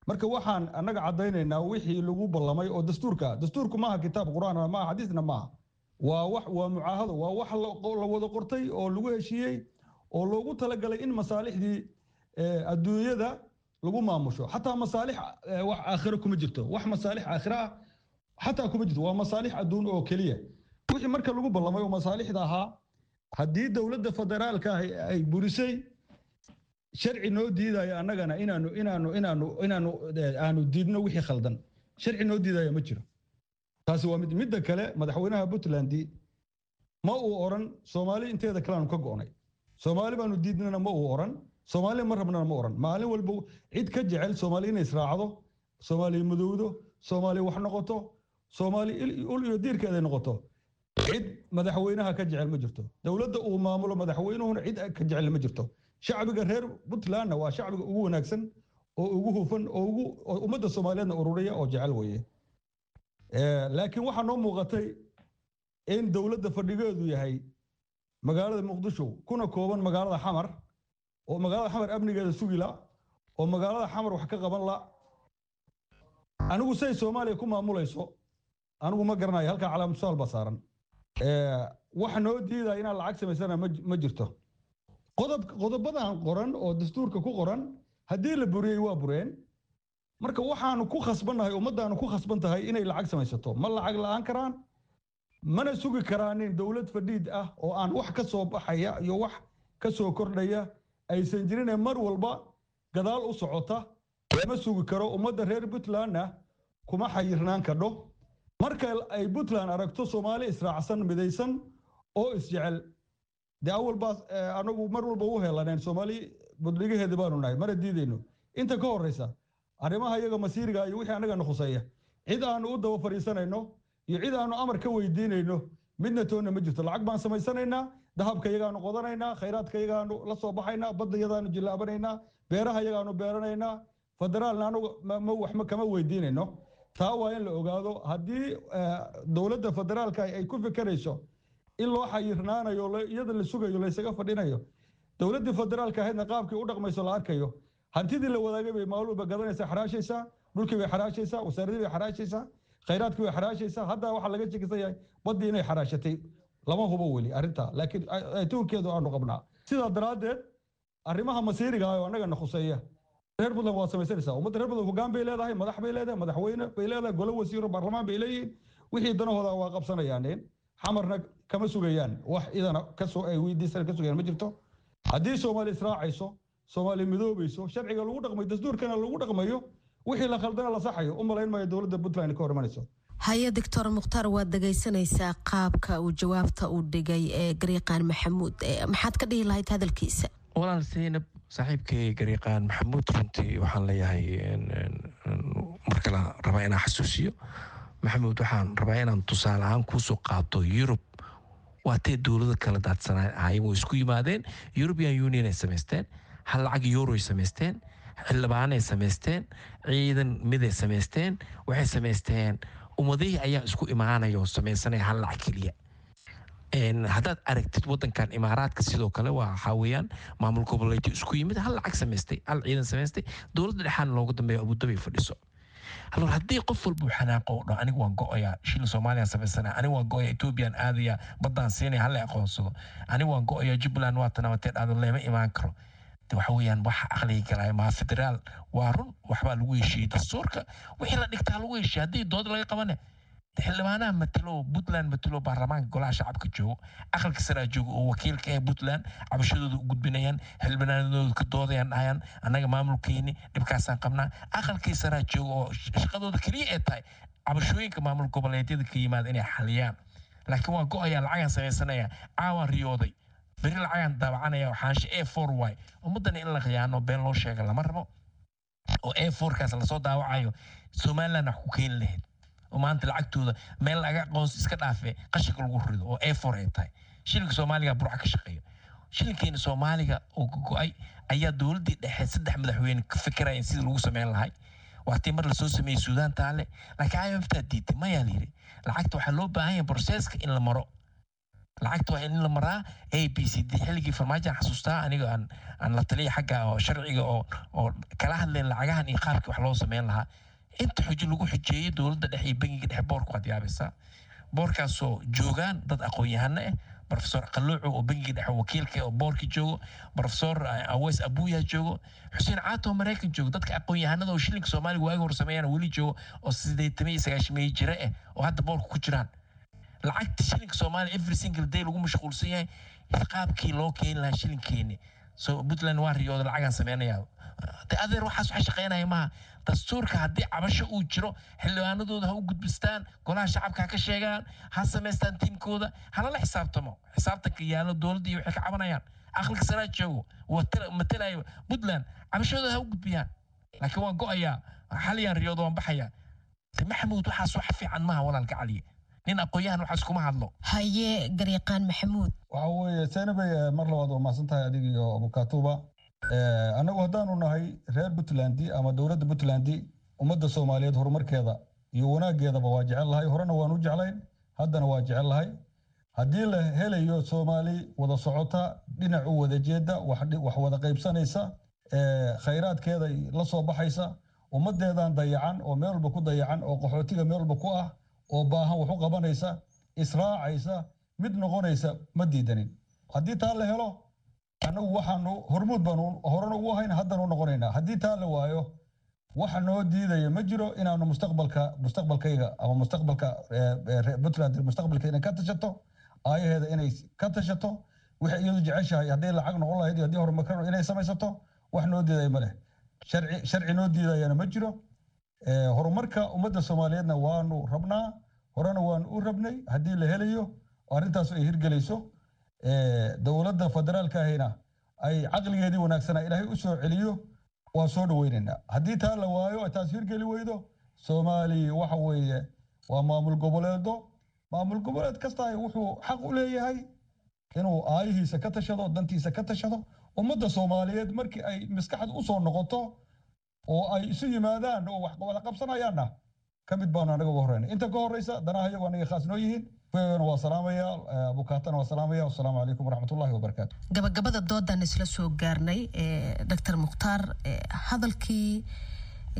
Marka waxaan annaga caddaynaynaa wixii lagu ballamay oo dastuurka. Dastuurku maaha kitaab Qur-aan, maaha xadiisna maaha, waa wax, waa mucaahado, waa wax la wada qortay oo lagu heshiiyey oo loogu talagalay in masaalixdii adduunyada lagu maamusho. Xataa masaalix wax aakhiro kuma jirto, wax masaalix aakhiro ah xataa kuma jirto, waa masaalix adduun oo keliya. Wixii marka lagu ballamay oo masaalixda ahaa haddii dowladda federaalka ah ay burisay, sharci noo diidaya annagana inaanu aanu diidno wixii khaldan, sharci noo diidaya ma jiro. Taasi waa mid. Midda kale, madaxweynaha Puntland ma uu oran Soomaali inteeda kale aanu ka go'nay, Soomaali baanu diidnana ma uu oran, Soomaali ma rabnana ma oran. Maalin walba cid ka jecel Soomaali inay israacdo, Soomaali madowdo, Soomaali wax noqoto, Soomaali ul iyo diirkeeday noqoto, cid madaxweynaha ka jecel ma jirto. Dowladda uu maamulo madaxweynuhuna cid ka jecel ma jirto. Shacbiga reer Puntlandna waa shacbiga ugu wanaagsan oo ugu hufan oo ugu ummadda Soomaaliyeedna ururiya oo jecel weye. Laakiin waxaa noo muuqatay in dowladda fadhigeedu yahay magaalada Muqdisho, kuna kooban magaalada Xamar, oo magaalada Xamar amnigeeda sugi la, oo magaalada Xamar wax ka qaban la. Anigu say Soomaaliya ku maamulayso anigu ma garanayo. Halkaa calaamad su'aal baa saaran. Waxa noo diidaya inaan lacag samaysana ma jirto. Qodob qodobadan qoran oo dastuurka ku qoran haddii la buriyey, waa bureen. Marka waxaanu ku khasbannahay, ummaddaanu ku khasban tahay inay lacag samaysato. Ma lacag la'aan karaan, mana sugi karaanin dowlad fadhiid ah oo aan wax ka soo baxaya iyo wax ka soo kordhaya aysan jirin, mar walba gadaal u socota lama sugi karo. Ummadda reer Puntlandna kuma xayirnaan kadho. Marka ay Puntland aragto Soomaali israacsan, midaysan oo isjecel, dee awal baa anagu mar walba u helaneen, Soomaali budligaheeda baanu nahay, mana diidayno. Inta ka horeysa arrimaha iyaga masiiriga iyo wixii annagana khuseeya, cid aanu u daba fadhiisanayno iyo cid aanu amar ka weydiinayno midna toonna ma jirto. Lacag baan samaysanaynaa, dahabka iyagaanu qodanaynaa, khayraadka iyagaanu la soo baxaynaa, badda iyadaanu jillaabanaynaa, beeraha iyagaanu beeranaynaa. Federaalna anagu ma wax ma kama weydiinayno. Taa waa in la ogaado. Haddii dowladda federaalka ay ku fikerayso in loo xayirnaanayo, iyada la sugayo, laysaga fadhinayo, dowladdii federaalka ahaydna qaabkii u dhaqmayso la arkayo, hantidii la wadaagay bay maalin walba gadanaysaa, xaraashaysaa, dhulkii bay xaraashaysaa, wasaaradii bay xaraashaysaa, khayraadkii bay xaraashaysaa. Hadda waxaa laga shekisan yahay baddii inay xaraashatay. Lama hubo weli arrintaa, laakiin tuunkeedu aanu qabnaa. Sidaa daraaddeed arrimaha masiiriga ah oo annagana khuseeya reer Puntland waa samaysanaysaa. Ummadda reer Puntland hoggaan bay leedahay, madax bay leedahay, madaxweyne bay leedahay, golo wasiiro, baarlamaan bay leeyihiin. Wixii danahooda waa qabsanayaan, Xamarna kama sugayaan wax idana kasoo ay weydiisan ka sugayaan ma jirto. Haddii Soomaali israacayso, Soomaaliya midoobayso, sharciga lagu dhaqmayo, dastuurkana lagu dhaqmayo, wixii la khaldana la saxayo, u malayn maayo dowladda Puntland ka hor imanayso. Haye, Doctor Mukhtaar, waad dhegaysanaysaa qaabka uu jawaabta u dhigay ee Gariiqaan Maxamuud. Maxaad ka dhihi lahayd hadalkiisa? Walaal Seynab, saaxiibkay Gariiqaan Maxamuud runtii waxaan leeyahay, mar kale rabaa inaan xasuusiyo Maxamuud, waxaan rabaa inaan tusaale ahaan kuusoo qaato Yurub. Waatee dowlado kala daadsanaa ahaayeen, way isku yimaadeen, European Union ay samaysteen, hal lacag euro ay samaysteen, xildhibaanay samaysteen, ciidan miday samaysteen, waxay samaysteen ummadihii ayaa isku imaanaya oo samaysanaya hal lacag keliya. Haddaad aragtid wadankan Imaaraadka sidoo kale, waa waxaa weeyaan maamul goboleedyo isku yimid, hal lacag samaystay, hal ciidan samaystay, dowladda dhexaana loogu dambeeya Abudabi fadhiso. Halor haddii qof walba uu xanaaqo oo dhaho, "Anigu waan go'ayaa, shilin Soomaaliyan samaysana, anigu waan go'aya, Ethoobiyan aadaya, baddaan siinaya, hala aqoonsado, anigu waan go'aya, Jubbaland waa tanabatee dhahdo, leema imaan karo," de waxa weeyaan waxa aqliga galaya maa. Federaal waa run, waxbaa lagu heshiiyey, dastuurka wixii la dhigtaa lagu heshiiyey. Haddii dood laga qabane, xildhibaanaha matalo Puntland, matalo baarlamaanka, golaha shacabka joogo, aqalka saraa joogo oo wakiilka ee Puntland, cabashadooda u gudbinayaan, xildhibaanadooda ka doodayaan, dhahayaan, "Annaga maamulkeeni dhibkaasaan qabnaa." Aqalkii saraa joogo oo shaqadooda keliya ay tahay cabashooyinka maamul goboleedyada ka yimaada inay xaliyaan. Laakiin "Waan go'ayaa, lacagaan samaysanaya, caawaan riyooday, beri lacagaan daabacanaya," xaansho A4 y ummaddana in la khiyaano, been loo sheega lama rabo. Oo A4 kaas lasoo daawacayo Somaliland wax ku keeni lahayd oo maanta lacagtooda meel laga aqoonsi iska dhaafe qashinka lagu rido oo A4 ay tahay. Shilinka Soomaaliga Burca ka shaqeeyo, shilinkeena Soomaaliga oo go'ay ayaa dowladdii dhexe 3 madaxweyne ka fikirayeen sidii lagu sameyn lahay. Waatii mar lasoo sameeyey Suudaan taale, laakiin IMF taa diiday. Mayaa la yidhi, lacagta waxaa loo baahan yahay processka in la maro, lacagta waa in la maraa A B C D. Xilligii Farmaajo aan xasuustaa aniga aan la taliya xagga oo sharciga oo kala hadleen lacagahan iyo qaabkii wax loo sameyn lahaa. Inta xujo lagu xujeeyey dowladda dhexe iyo bangiga dhexe, boorku waad yaabaysaa, boorkaasoo joogaan dad aqoon-yahano ah, Professor Qalluuco oo bangiga dhexe wakiilka oo boorki joogo, Professor Aweys Abuya joogo, Xuseen Caato oo Maraykan joogo, dadka aqoon-yahanada oo shilinka Soomaaliga waagi hor sameeyaan weli joogo oo 80 iyo 90 jira ah oo hadda boorka ku jiraan. Lacagta shilinka Soomaaliya every single day lagu mashquulsan yahay qaabkii loo keeni lahaa shilinkeeni. So Puntland waa riyooda, lacagaan sameynayaa. De adeer, waxaas waxa shaqeynaya maaha. Dastuurka haddii cabasho uu jiro, xildhibaanadooda ha u gudbistaan, golaha shacabka ha ka sheegaan, ha samaystaan tiimkooda, halala xisaabtamo. Xisaabtanka yaalo dowladda iyo waxay ka cabanayaan, aqalka saraa joogo matalayo Puntland, cabashadooda ha u gudbiyaan. Laakiin "Waan go'ayaa, xaliyaan riyooda, waan baxayaa," de Maxamuud, waxaas wax fiican maaha. Walaalka Caliye, nin aqoon-yahan waxaas kuma hadlo. Haye, Garyaqaan Maxamuud. Waxa weeye Seynabay, mar labaad waa mahadsan tahay adiga iyo Abukaatuba. Annagu haddaanu nahay reer Puntland ama dowladda Puntland, ummadda Soomaaliyeed horumarkeeda iyo wanaaggeedaba waa jecel lahay. Horena waan u jeclayn, haddana waa jecel lahay. Haddii la helayo Soomaali wada socota, dhinac u wada jeeda, wax wada qaybsanaysa, khayraadkeeda la soo baxaysa, ummaddeedan dayacan oo meel walba ku dayacan oo qaxootiga meel walba ku ah oo baahan wax u qabanaysa, israacaysa, mid noqonaysa, ma diidanin. Haddii taa la helo, annagu waxaanu hormuud baanu horena ugu ahayn, haddana u noqonaynaa. Haddii taa la waayo, waxa noo diidaya ma jiro inaanu mustaqbalka, mustaqbalkayga ama mustaqbalka Puntland, mustaqbalka inay ka tashato, aayaheeda inay ka tashato, waxay iyadu jeceshahay, hadday lacag noqon lahayd iyo haddii horumar inay samaysato, wax noo diidaya ma leh. Sharci noo diidayana ma jiro. Horumarka ummadda Soomaaliyeedna waanu rabnaa, horena waanu u rabnay. Haddii la helayo arrintaas ay hirgelayso, dowladda federaalka ahina ay caqligeedii wanaagsanaa Ilaahay u soo celiyo, waa soo dhaweynaynaa. Haddii taa la waayo, taas hirgeli weydo, Soomaaliya waxa weeye waa maamul goboleedo. Maamul goboleed kasta wuxuu xaq u leeyahay inuu aayihiisa ka tashado, dantiisa ka tashado. Ummadda Soomaaliyeed markii ay maskaxda u soo noqoto oo ay isu yimaadaan oo wax wada qabsanayaanna, ka mid baanu anaga uga horreynay. Inta ka horreysa danaha iyagu anaga khaas noo yihiin. Waa salaamaya, Abukaatana waa salaamaya. Wasalaamu calaykum waraxmatullahi wabarakaatu. Gabagabada doodan isla soo gaarnay. Doctor Mukhtaar, hadalkii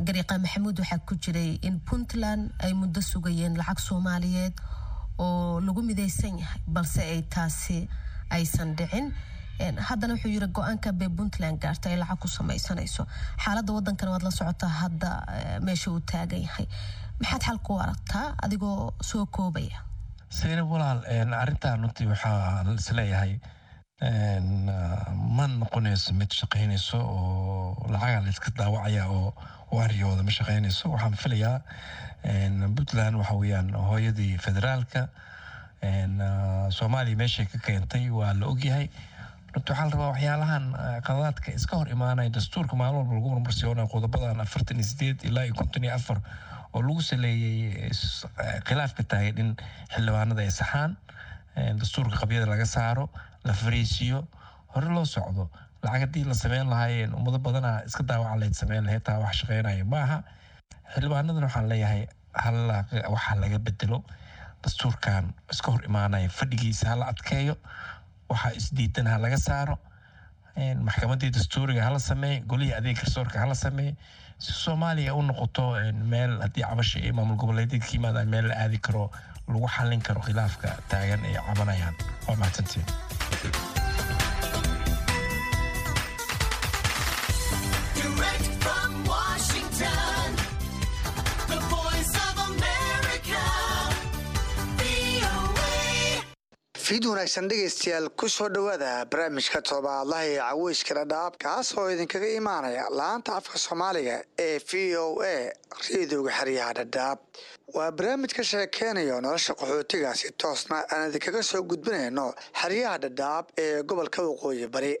Gariiqa Maxamuud waxaa ku jiray in Puntland ay muddo sugayeen lacag Soomaaliyeed oo lagu midaysan yahay, balse ay taasi aysan dhicin. Haddana wuxuu yiri go-aanka bay Puntland gaarta ay lacag ku samaysanayso. Xaaladda wadankana waad la socotaa hadda meesha uu taagan yahay. Maxaad xal ku aragtaa adigoo soo koobaya? Seynab walaal, arrintan runtii waxaa isleeyahay Ma noqonayso mid shaqaynayso oo lacagaa la iska daawacaya oo waariyooda ma shaqaynayso. Waxaan filayaa Puntland waxa weeyaan hooyadii federaalka Soomaaliya. Meeshay ka keentay waa la ogyahay. Runti waxaa la rabaa waxyaalahan qadadaadka iska hor imaanaya, dastuurka maalin walba lagu marmarsiyoonayo, qodobadan 48 ilaa iyo 54 oo lagu saleeyey khilaafka taagan, in xildhibaanada ay saxaan dastuurka, qabyada laga saaro, la fariisiyo, hore loo socdo. Lacag haddii la sameyn lahaayeen, ummado badana iska daawaca layd sameyn lahayd. Taa wax shaqeynaya maaha. Xildhibaanadan waxaan leeyahay, waxaa laga bedelo dastuurkan iska hor imaanaya, fadhigiisa hala adkeeyo, waxaa isdiidan ha laga saaro, maxkamadii dastuuriga hala sameeye, golihii adeeg garsoorka hala sameeye, si Soomaaliya u noqoto meel haddii cabasha iyo maamul goboleedyada ka yimaadaan meel la aadi karo, lagu xallin karo khilaafka taagan ay cabanayaan. Waa mahadsantiin. Direct from Washington, the Voice of America, VOA. Fiid wanaagsan dhegaystayaal, ku soo dhowaada barnaamijka todobaadlaha ee Caweyska Dhadhaab, kaas oo idinkaga imaanaya laanta afka Soomaaliga ee VOA, reedioga xeryaha Dhadhaab. Waa barnaamij ka sheekeynayo nolosha qaxootiga, si toosna aan idinkaga soo gudbinayno xeryaha Dhadhaab ee gobolka Waqooyi Bari.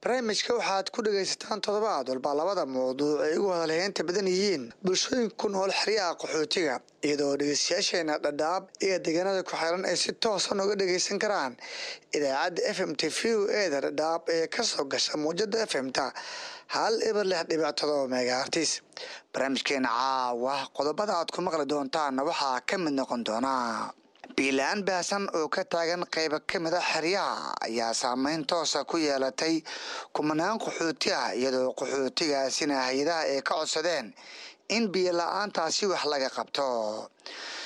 Barnaamijka waxaad ku dhegaysataan toddobaad walba labada mawduuc ay ugu hadalheynta badan yihiin bulshooyinka ku nool xeryaha qaxootiga, iyadoo dhegeystayaasheena Dhadhaab iyo deegaanada ku xiran ay si toosan uga dhegeysan karaan idaacadda FM-ta VOA-da Dhadhaab ee kasoo gasha muujada FM-ta 106.7 megahertz. Barnaamijkeena caawa qodobada aad ku maqli doontaanna waxaa ka mid noqon doonaa: biyo la'aan baahsan oo ka taagan qaybo ka mid a xeryaha ayaa saameyn toosa ku yeelatay kumanaan qaxooti ah, iyadoo qaxootigaasina hay-adaha ay ka codsadeen in biyo la-aantaasi wax laga qabto.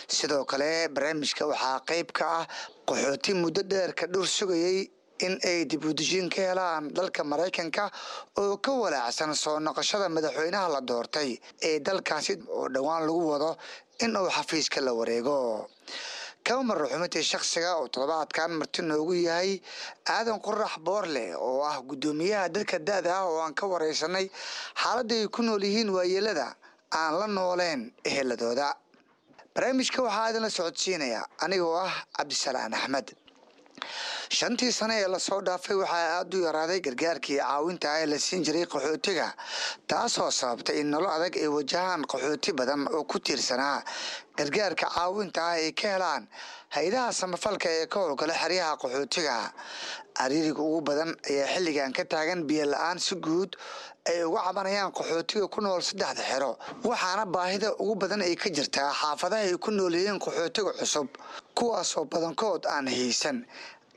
Sidoo kale barnaamijka waxaa qayb ka ah qaxooti muddo dheer ka dhur sugayay in ay dib u dejin ka helaan dalka Maraykanka oo ka walaacsan soo noqoshada madaxweynaha la doortay ee dalkaasi oo dhowaan lagu wado in uu xafiiska la wareego. Kama marro xubintii shakhsiga oo toddobaadkan marti noogu yahay Aadan Qorax Boorle, oo ah guddoomiyaha dadka da-da ah, oo aan ka wareysanay xaaladda ay ku nool yihiin waayeelada aan la nooleen eheladooda. Barnaamijka waxaa idinla socodsiinaya anigoo ah Cabdisalaan Axmed. 5-tii sane ee lasoo dhaafay waxaa aada u yaraaday gargaarkii caawinta ah ee la siin jiray qaxootiga, taasoo sababtay in nolol adag ay wajahaan qaxooti badan oo ku tiirsanaa gargaarka caawinta ah ay ka helaan hay-adaha samafalka ee ka howlgala xeryaha qaxootiga. Cariiriga ugu badan ayaa xilligan ka taagan biyo la-aan si guud ay uga cabanayaan qaxootiga ku nool saddexda xero, waxaana baahida ugu badan ay ka jirtaa xaafadaha ay ku nool yihiin qaxootiga cusub, kuwaasoo badankood aan haysan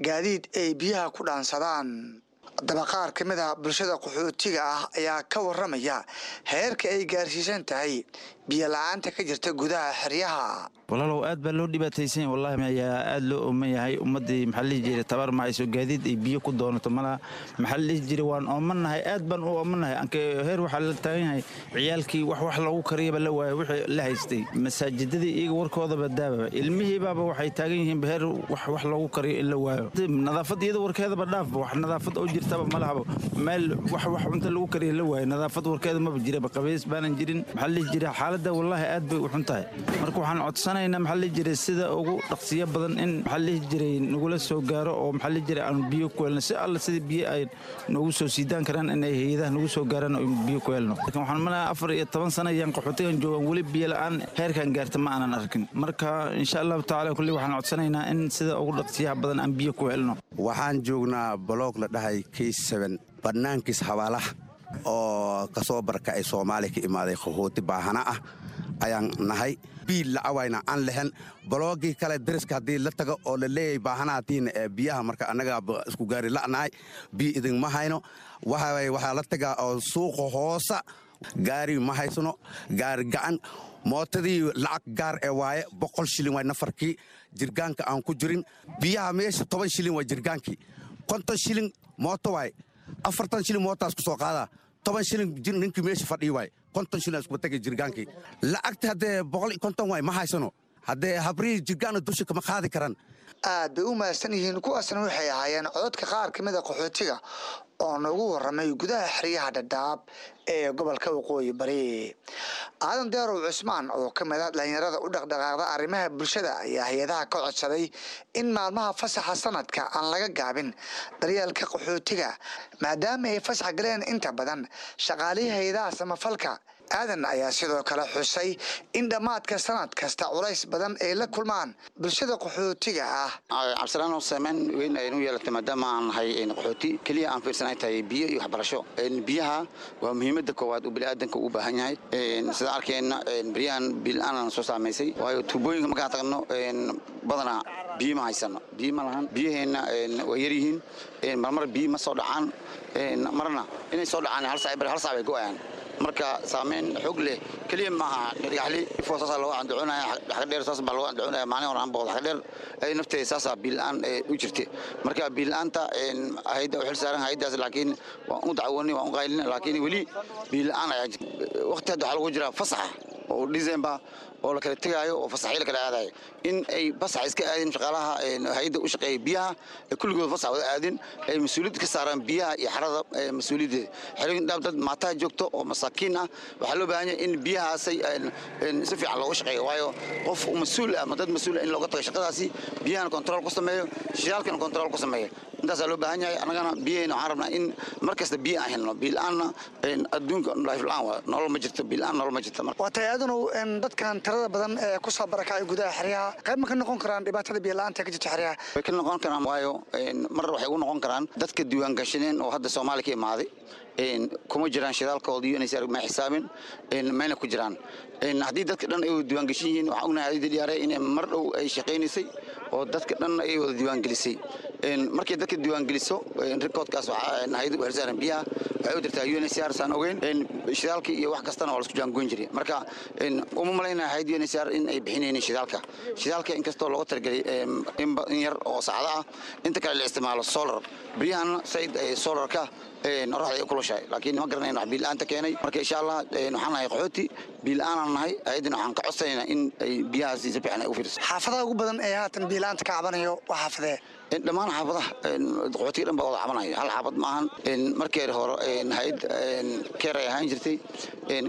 gaadiid ay biyaha ku dhaansadaan. Haddaba, qaar ka mid ah bulshada qaxootiga ah ayaa ka waramaya heerka ay gaarsiisan tahay biyo la-aanta ka jirta gudaha xeryaha. Walaalow, aad baa loo dhibaataysan yahay wallahi, ayaa aad loo ooman yahay. Ummaddii, maxaa la dhihi jiray, tabar ma hayso gaadiid ay biyo ku doonato malaha. Maxaa la dhihi jiray, waan oomanahay, aad baan u oomanahay. Anke heer waxaa la taagan yahay ciyaalkii wax loogu kariyaba la waayo. Wixii la haystay masaajidadii iyaga warkoodaba daababa, ilmihiibaaba waxay taagan yihiin heer wax loogu kariyo in la waayo. Nadaafad iyada warkeedaba dhaafba, wax nadaafad oo jirtaba malahaba. Meel wax cunto lagu kariyo la waayo, nadaafad warkeeda maba jiraba, qabays baanan jirin. Maxaa la dhihi jiray, xaaladda wallaahi aad bay u xun tahay. Marka waxaan codsanaynaa, maxaa la dhihi jiray, sida ugu dhaqsiyo badan in, maxaa la dhihi jiray, nagula soo gaaro oo, maxaa la dhihi jiray, aanu biyo ku helno. Si alla sidii biyo ay noogu soo siidaan karaan, inay hay-adaha nagu soo gaaraan oo biyo ku helno. Laakiin waxaan malaya 14 sano ayaan qaxootigan joogan, weli biyo la'aan heerkan gaarta ma aanan arkin. Marka insha Allahu tacaala kulli waxaan codsanaynaa in sida ugu dhaqsiyaha badan aan biyo ku helno. Waxaan joognaa block la dhahay K7, bannaankiis xabaalaha, oo kasoo barkacay Soomaaliya, ka imaaday, qaxooti baahana ah ayaan nahay. Biil lacawayna aan lehen. Block-gii kale dariska haddii la tago oo la leeyahay baahanahatiin ee biyaha, marka annagaa isku gaari la'nahay, biyo idinma hayno. Waxaa la tagaa oo suuqa hoosa. Gaari ma haysano, gaari gacan mootadii lacag gaar ee waaye, 100 shilin waay nafarkii, jirgaanka aan ku jirin biyaha. Meesha 10 shilin waa jirgaankii, 50 shilin mooto waay, 40 shilin mootaas ku soo qaadaa, 10 shilin ninkii meesha fadhiyi waay, 50 shilin isku tagay jirgaankii. Lacagta haddee 150 waay, ma haysano. Haddee habrihii jirgaana dusha kama qaadi karaan. Aad bay u mahadsan yihiin. Kuwaasna waxay ahaayeen cododka qaar ka mid a qaxootiga oo noogu waramay gudaha xeryaha Dhadhaab ee gobolka Waqooyi Bari. Aadan Deerow Cusmaan oo ka mid ah dhalinyarada u dhaqdhaqaaqda arrimaha bulshada ayaa hay-adaha ka codsaday in maalmaha fasaxa sanadka aan laga gaabin daryeelka qaxootiga, maadaama ay fasax galeen inta badan shaqaalihii hay-adaha samafalka. Aadan ayaa sidoo kale xusay in dhammaadka sanad kasta culays badan ay la kulmaan bulshada qaxootiga ah. Cabdisalaan, saameyn weyn aynu yeelatay maadaama aan nahay qaxooti. Keliya aan fiirsanay tahay biyo iyo waxbarasho. Biyaha waa muhiimadda koowaad uu bini'aadanka u baahan yahay. Sidaan arkeenna, beryahan biyo-la'aan soo saamaysay, waayo tuubooyinka markaan tagno badanaa biyo ma haysano, biyo ma lahan. Biyaheenna waa yar yihiin. Marmar biyo ma soo dhacaan, marna inay soo dhacaan hal saac bar, hal saac bay go'ayaan. Marka saameyn xoog leh keliya maaha. Dhagaxli Ifo saasaa looga andacoonaya, Xagadheer saas baa looga andacoonaya. Maalin hore aan booqdo Xagadheer, ay nafteeda saasaa biyo-la'aan u jirtay. Marka biyo-la'aanta hay'adda u xil saaran hay'addaas, laakiin waan u dacwoonay, waan u qaylin, laakiin weli biyo-la'aan ayaa jirta. Waqti hadda waxaa lagu jiraa fasaxa oo December oo la kala tegaayo oo fasaxyo la kala aadayo, in ay fasax iska aadin shaqaalaha hay'adda u shaqeeya biyaha, ay kulligood fasax wada aadin, ay mas-uuliyad ka saaraan biyaha iyo xarada mas-uuliyaddeeda. Xerooyin Dhadhaab dad maataa joogto oo masaakiin ah. Waxaa loo baahan yahay in biyahaasay si fiican looga shaqeeyo, waayo qof mas-uul ah ama dad mas-uul ah in looga tago shaqadaasi, biyahana control ku sameeyo, shidaalkana control ku sameeyo. Intaasaa loo baahan yahay. Annagana biyahayna waxaan rabnaa in mar kasta biyo aan helno. Biyo la'aanna adduunka life la'aan waa nolol ma jirto, biyo la'aan nolol ma jirto. Waa tahay, Aadanow. Dadkan tirada badan ee ku soo barakacay gudaha xeryaha, qayb ma ka noqon karaan dhibaatada biyo la'aanta ka jirta xeryaha? Way ka noqon karaan, waayo mar waxay ugu noqon karaan dadka diiwaan gashaneen oo hadda Soomaaliya ka imaaday kuma jiraan shidaalkooda iyo inay ma xisaabin mayna ku jiraan. Haddii dadka dhan ay wada diiwaangeshan yihiin, waxaan ognahay hay'adda DRA inay mar dhow ay shaqaynaysay oo dadka dhan ay wada diiwaangelisay. Markay dadka diiwaangeliso, recordkaas waxaa hay'adda u xilsaaran biyaha waxay u dirtaa UNHCR, saan ogeyn. Shidaalka iyo wax kastana waa la isku jaangoyn jiray. Marka uma malaynaya hay'adda UNHCR in ay bixinaynin shidaalka. Shidaalka inkastoo looga talagelay in yar oo saacado ah, inta kale la isticmaalo solar. Biyahan said solarka qoraxda ay u kulushahay, laakiin ma garanayno wax biyo la'aanta keenay. Marka insha Allah waxaan nahay qaxooti, biyo la'aanaan nahay. Hay'addana waxaan ka codsanaynaa in ay biyahaasi si fiican ay u fiiriso. Xaafadaha ugu badan ee haatan biyo la'aanta ka cabanayo waa xaafadee? Dhammaan xaafadaha qaxootiga dhan baa wada cabanaya, hal xaafad maahan. Markii hore hay'ad CARE ay ahaan jirtay,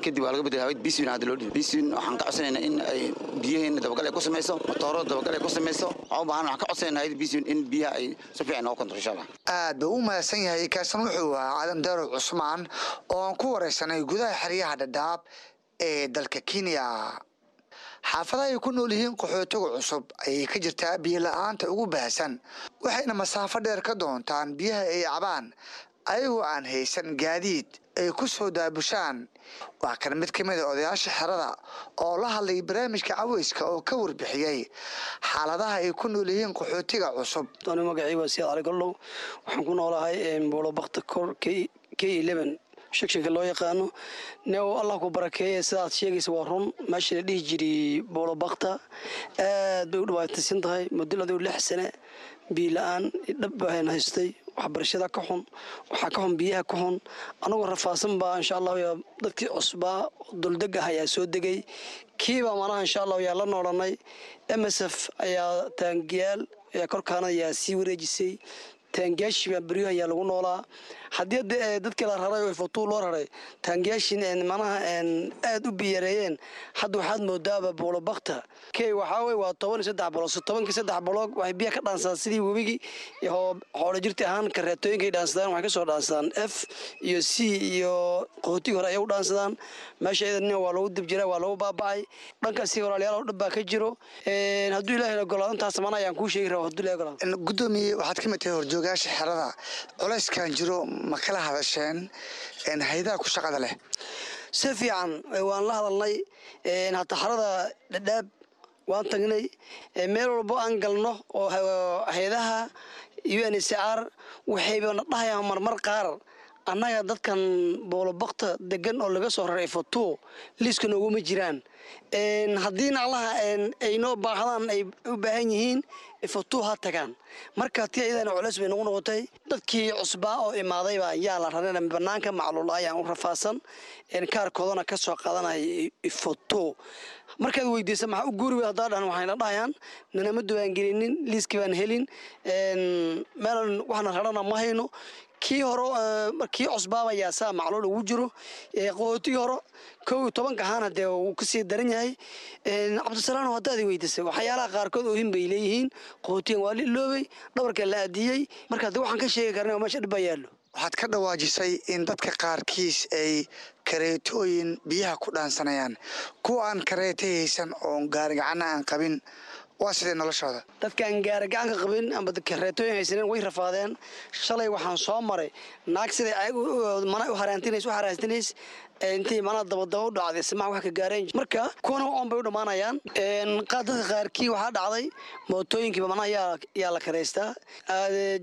kadib waa laga bedelay hay'ad Biswin hadda loo dhibay. Biswin waxaan ka codsanaynaa in ay biyaheena dabagal ay ku samayso, matooro dabagal ay ku samayso. Waxaan u baahan, waxaan ka codsanaynaa hay'ad Biswin in biyaha ay si fiican nooga control, insha Allah. Aad buu u mahadsan yahay. Kaasan wuxuu ahaa Aadan Daarow Cusmaan oo aan ku wareysanay gudaha xeryaha Dhadhaab ee dalka Kenya. Xaafadaha ay ku nool yihiin qaxootiga cusub ayay ka jirtaa biyo la'aanta ugu baahsan, waxayna masaafo dheer ka doontaan biyaha ay cabaan, ayagoo aan haysan gaadiid ay ku soo daabushaan. Waa kan mid ka mid a odayaasha xerada oo la hadlay barnaamijka caweyska oo ka warbixiyey xaaladaha ay ku nool yihiin qaxootiga cusub. Anu magacii waa Siyaad Cali Gollow. Waxaan ku noolahay Buulobakta kor K 11 sectionka loo yaqaano. Neow, Allah ku barakeeye, sidaad sheegaysa waa run. Meesha la dhihi jiray Buulobakta aad bay u dhibaataysan tahay. Muddo 6 sane biyo la'aan dhab bahan haystay. Waxbarashada ka xun, waxaa ka xun biyaha ka xun. Anagoo rafaadsan baa, insha Allahu, yaa dadkii cusbaa duldeg ah ayaa soo degay. Kiibaa manaha, insha Allahu, yaa la noolanay. MSF ayaa taangiyaal ayaa korkaana ayaa sii wareejisay. Taangiyaashii baa beryaha ayaa lagu noolaa. Haddii dadkii la raray oo Ifo 2 loo raray, taangiyaashii manaha aad u biyareeyeen. Hadda waxaad moodaaba Buulobakta K waxaa wey waa 13 block. So tobankii saddex block waxay biyaha ka dhaansadaan sidii webigii iyo xoolo jirti ahaan kareetooyinkay dhaansadaan. Waxay kasoo dhaansadaan F iyo C iyo qaxootigii hore ayay u dhaansadaan. Meesha iyadana waa lagu dib jiraa, waa lagu baaba'ay. Dhankaasi walaalayaal oo dhib baa ka jiro. Hadduu Ilaahay ogolaado, intaas mana ayaan kuu sheegi rabaa hadduu Ilaahay ogolaado. Gudoomiye, waxaad ka mid tahay horjoogayaasha xerada. Culayskan jiro ma kala hadasheen hay'adaha ku shaqada leh? Si fiican waan la hadalnay. Hataa xarada Dhadhaab waan tagnay. Meel walbo aan galno oo hay-adaha UNHCR waxayba na dhahayaan marmar qaar. Annaga dadkan Boolobakta degan oo laga soo raray Ifo 2 liiska nooguma jiraan. Haddii naclaha ay noo baahdaan, ay u baahan yihiin, Ifo 2 ha tagaan. Marka tii ayadana culeys bay nagu noqotay. Dadkii cusbaa oo imaadayba yaa la rarana banaanka, macluul ayaan u rafaadsan, kaarkoodana ka soo qaadanaya Ifo 2. Markaad weydiisa maxaa u guuri wey haddaa dhahan, waxayna dhahayaan nanama diiwaangelinin, liiskii baan helin, meelan waxna rarana ma hayno. Kii hore, kii cusbaaba yaa saa macluul ugu jiro. Qaxootigii hore 11-ka ahaana dee wuu kasii daran yahay. Cabdisalaano, haddaad weydiisay, waxyaalaha qaarkood oohin bay leeyihiin. Qaxootigan waa la iloobay, dhabarka la aadiyey. Marka dee waxaan ka sheegi karna meesha dhib baa yaallo. Waxaad ka dhawaajisay in dadka qaarkiis ay kareetooyin biyaha ku dhaansanayaan. Kuwa aan kareeta haysan oon gaarigacanna aan qabin, waa sidee noloshooda? Dadkaan gaarigacanka qabin amba kareetooyin haysanin way rafaadeen. Shalay waxaan soo maray naag siday mana u haraantinays u haraantinays, intii mana dabadaba u dhacday, simaha wax ka gaareen. Marka kuwana oon bay u dhammaanayaan. Dadka qaarkii waxaa dhacday mootooyinkiiba manaha yaa la karaystaa.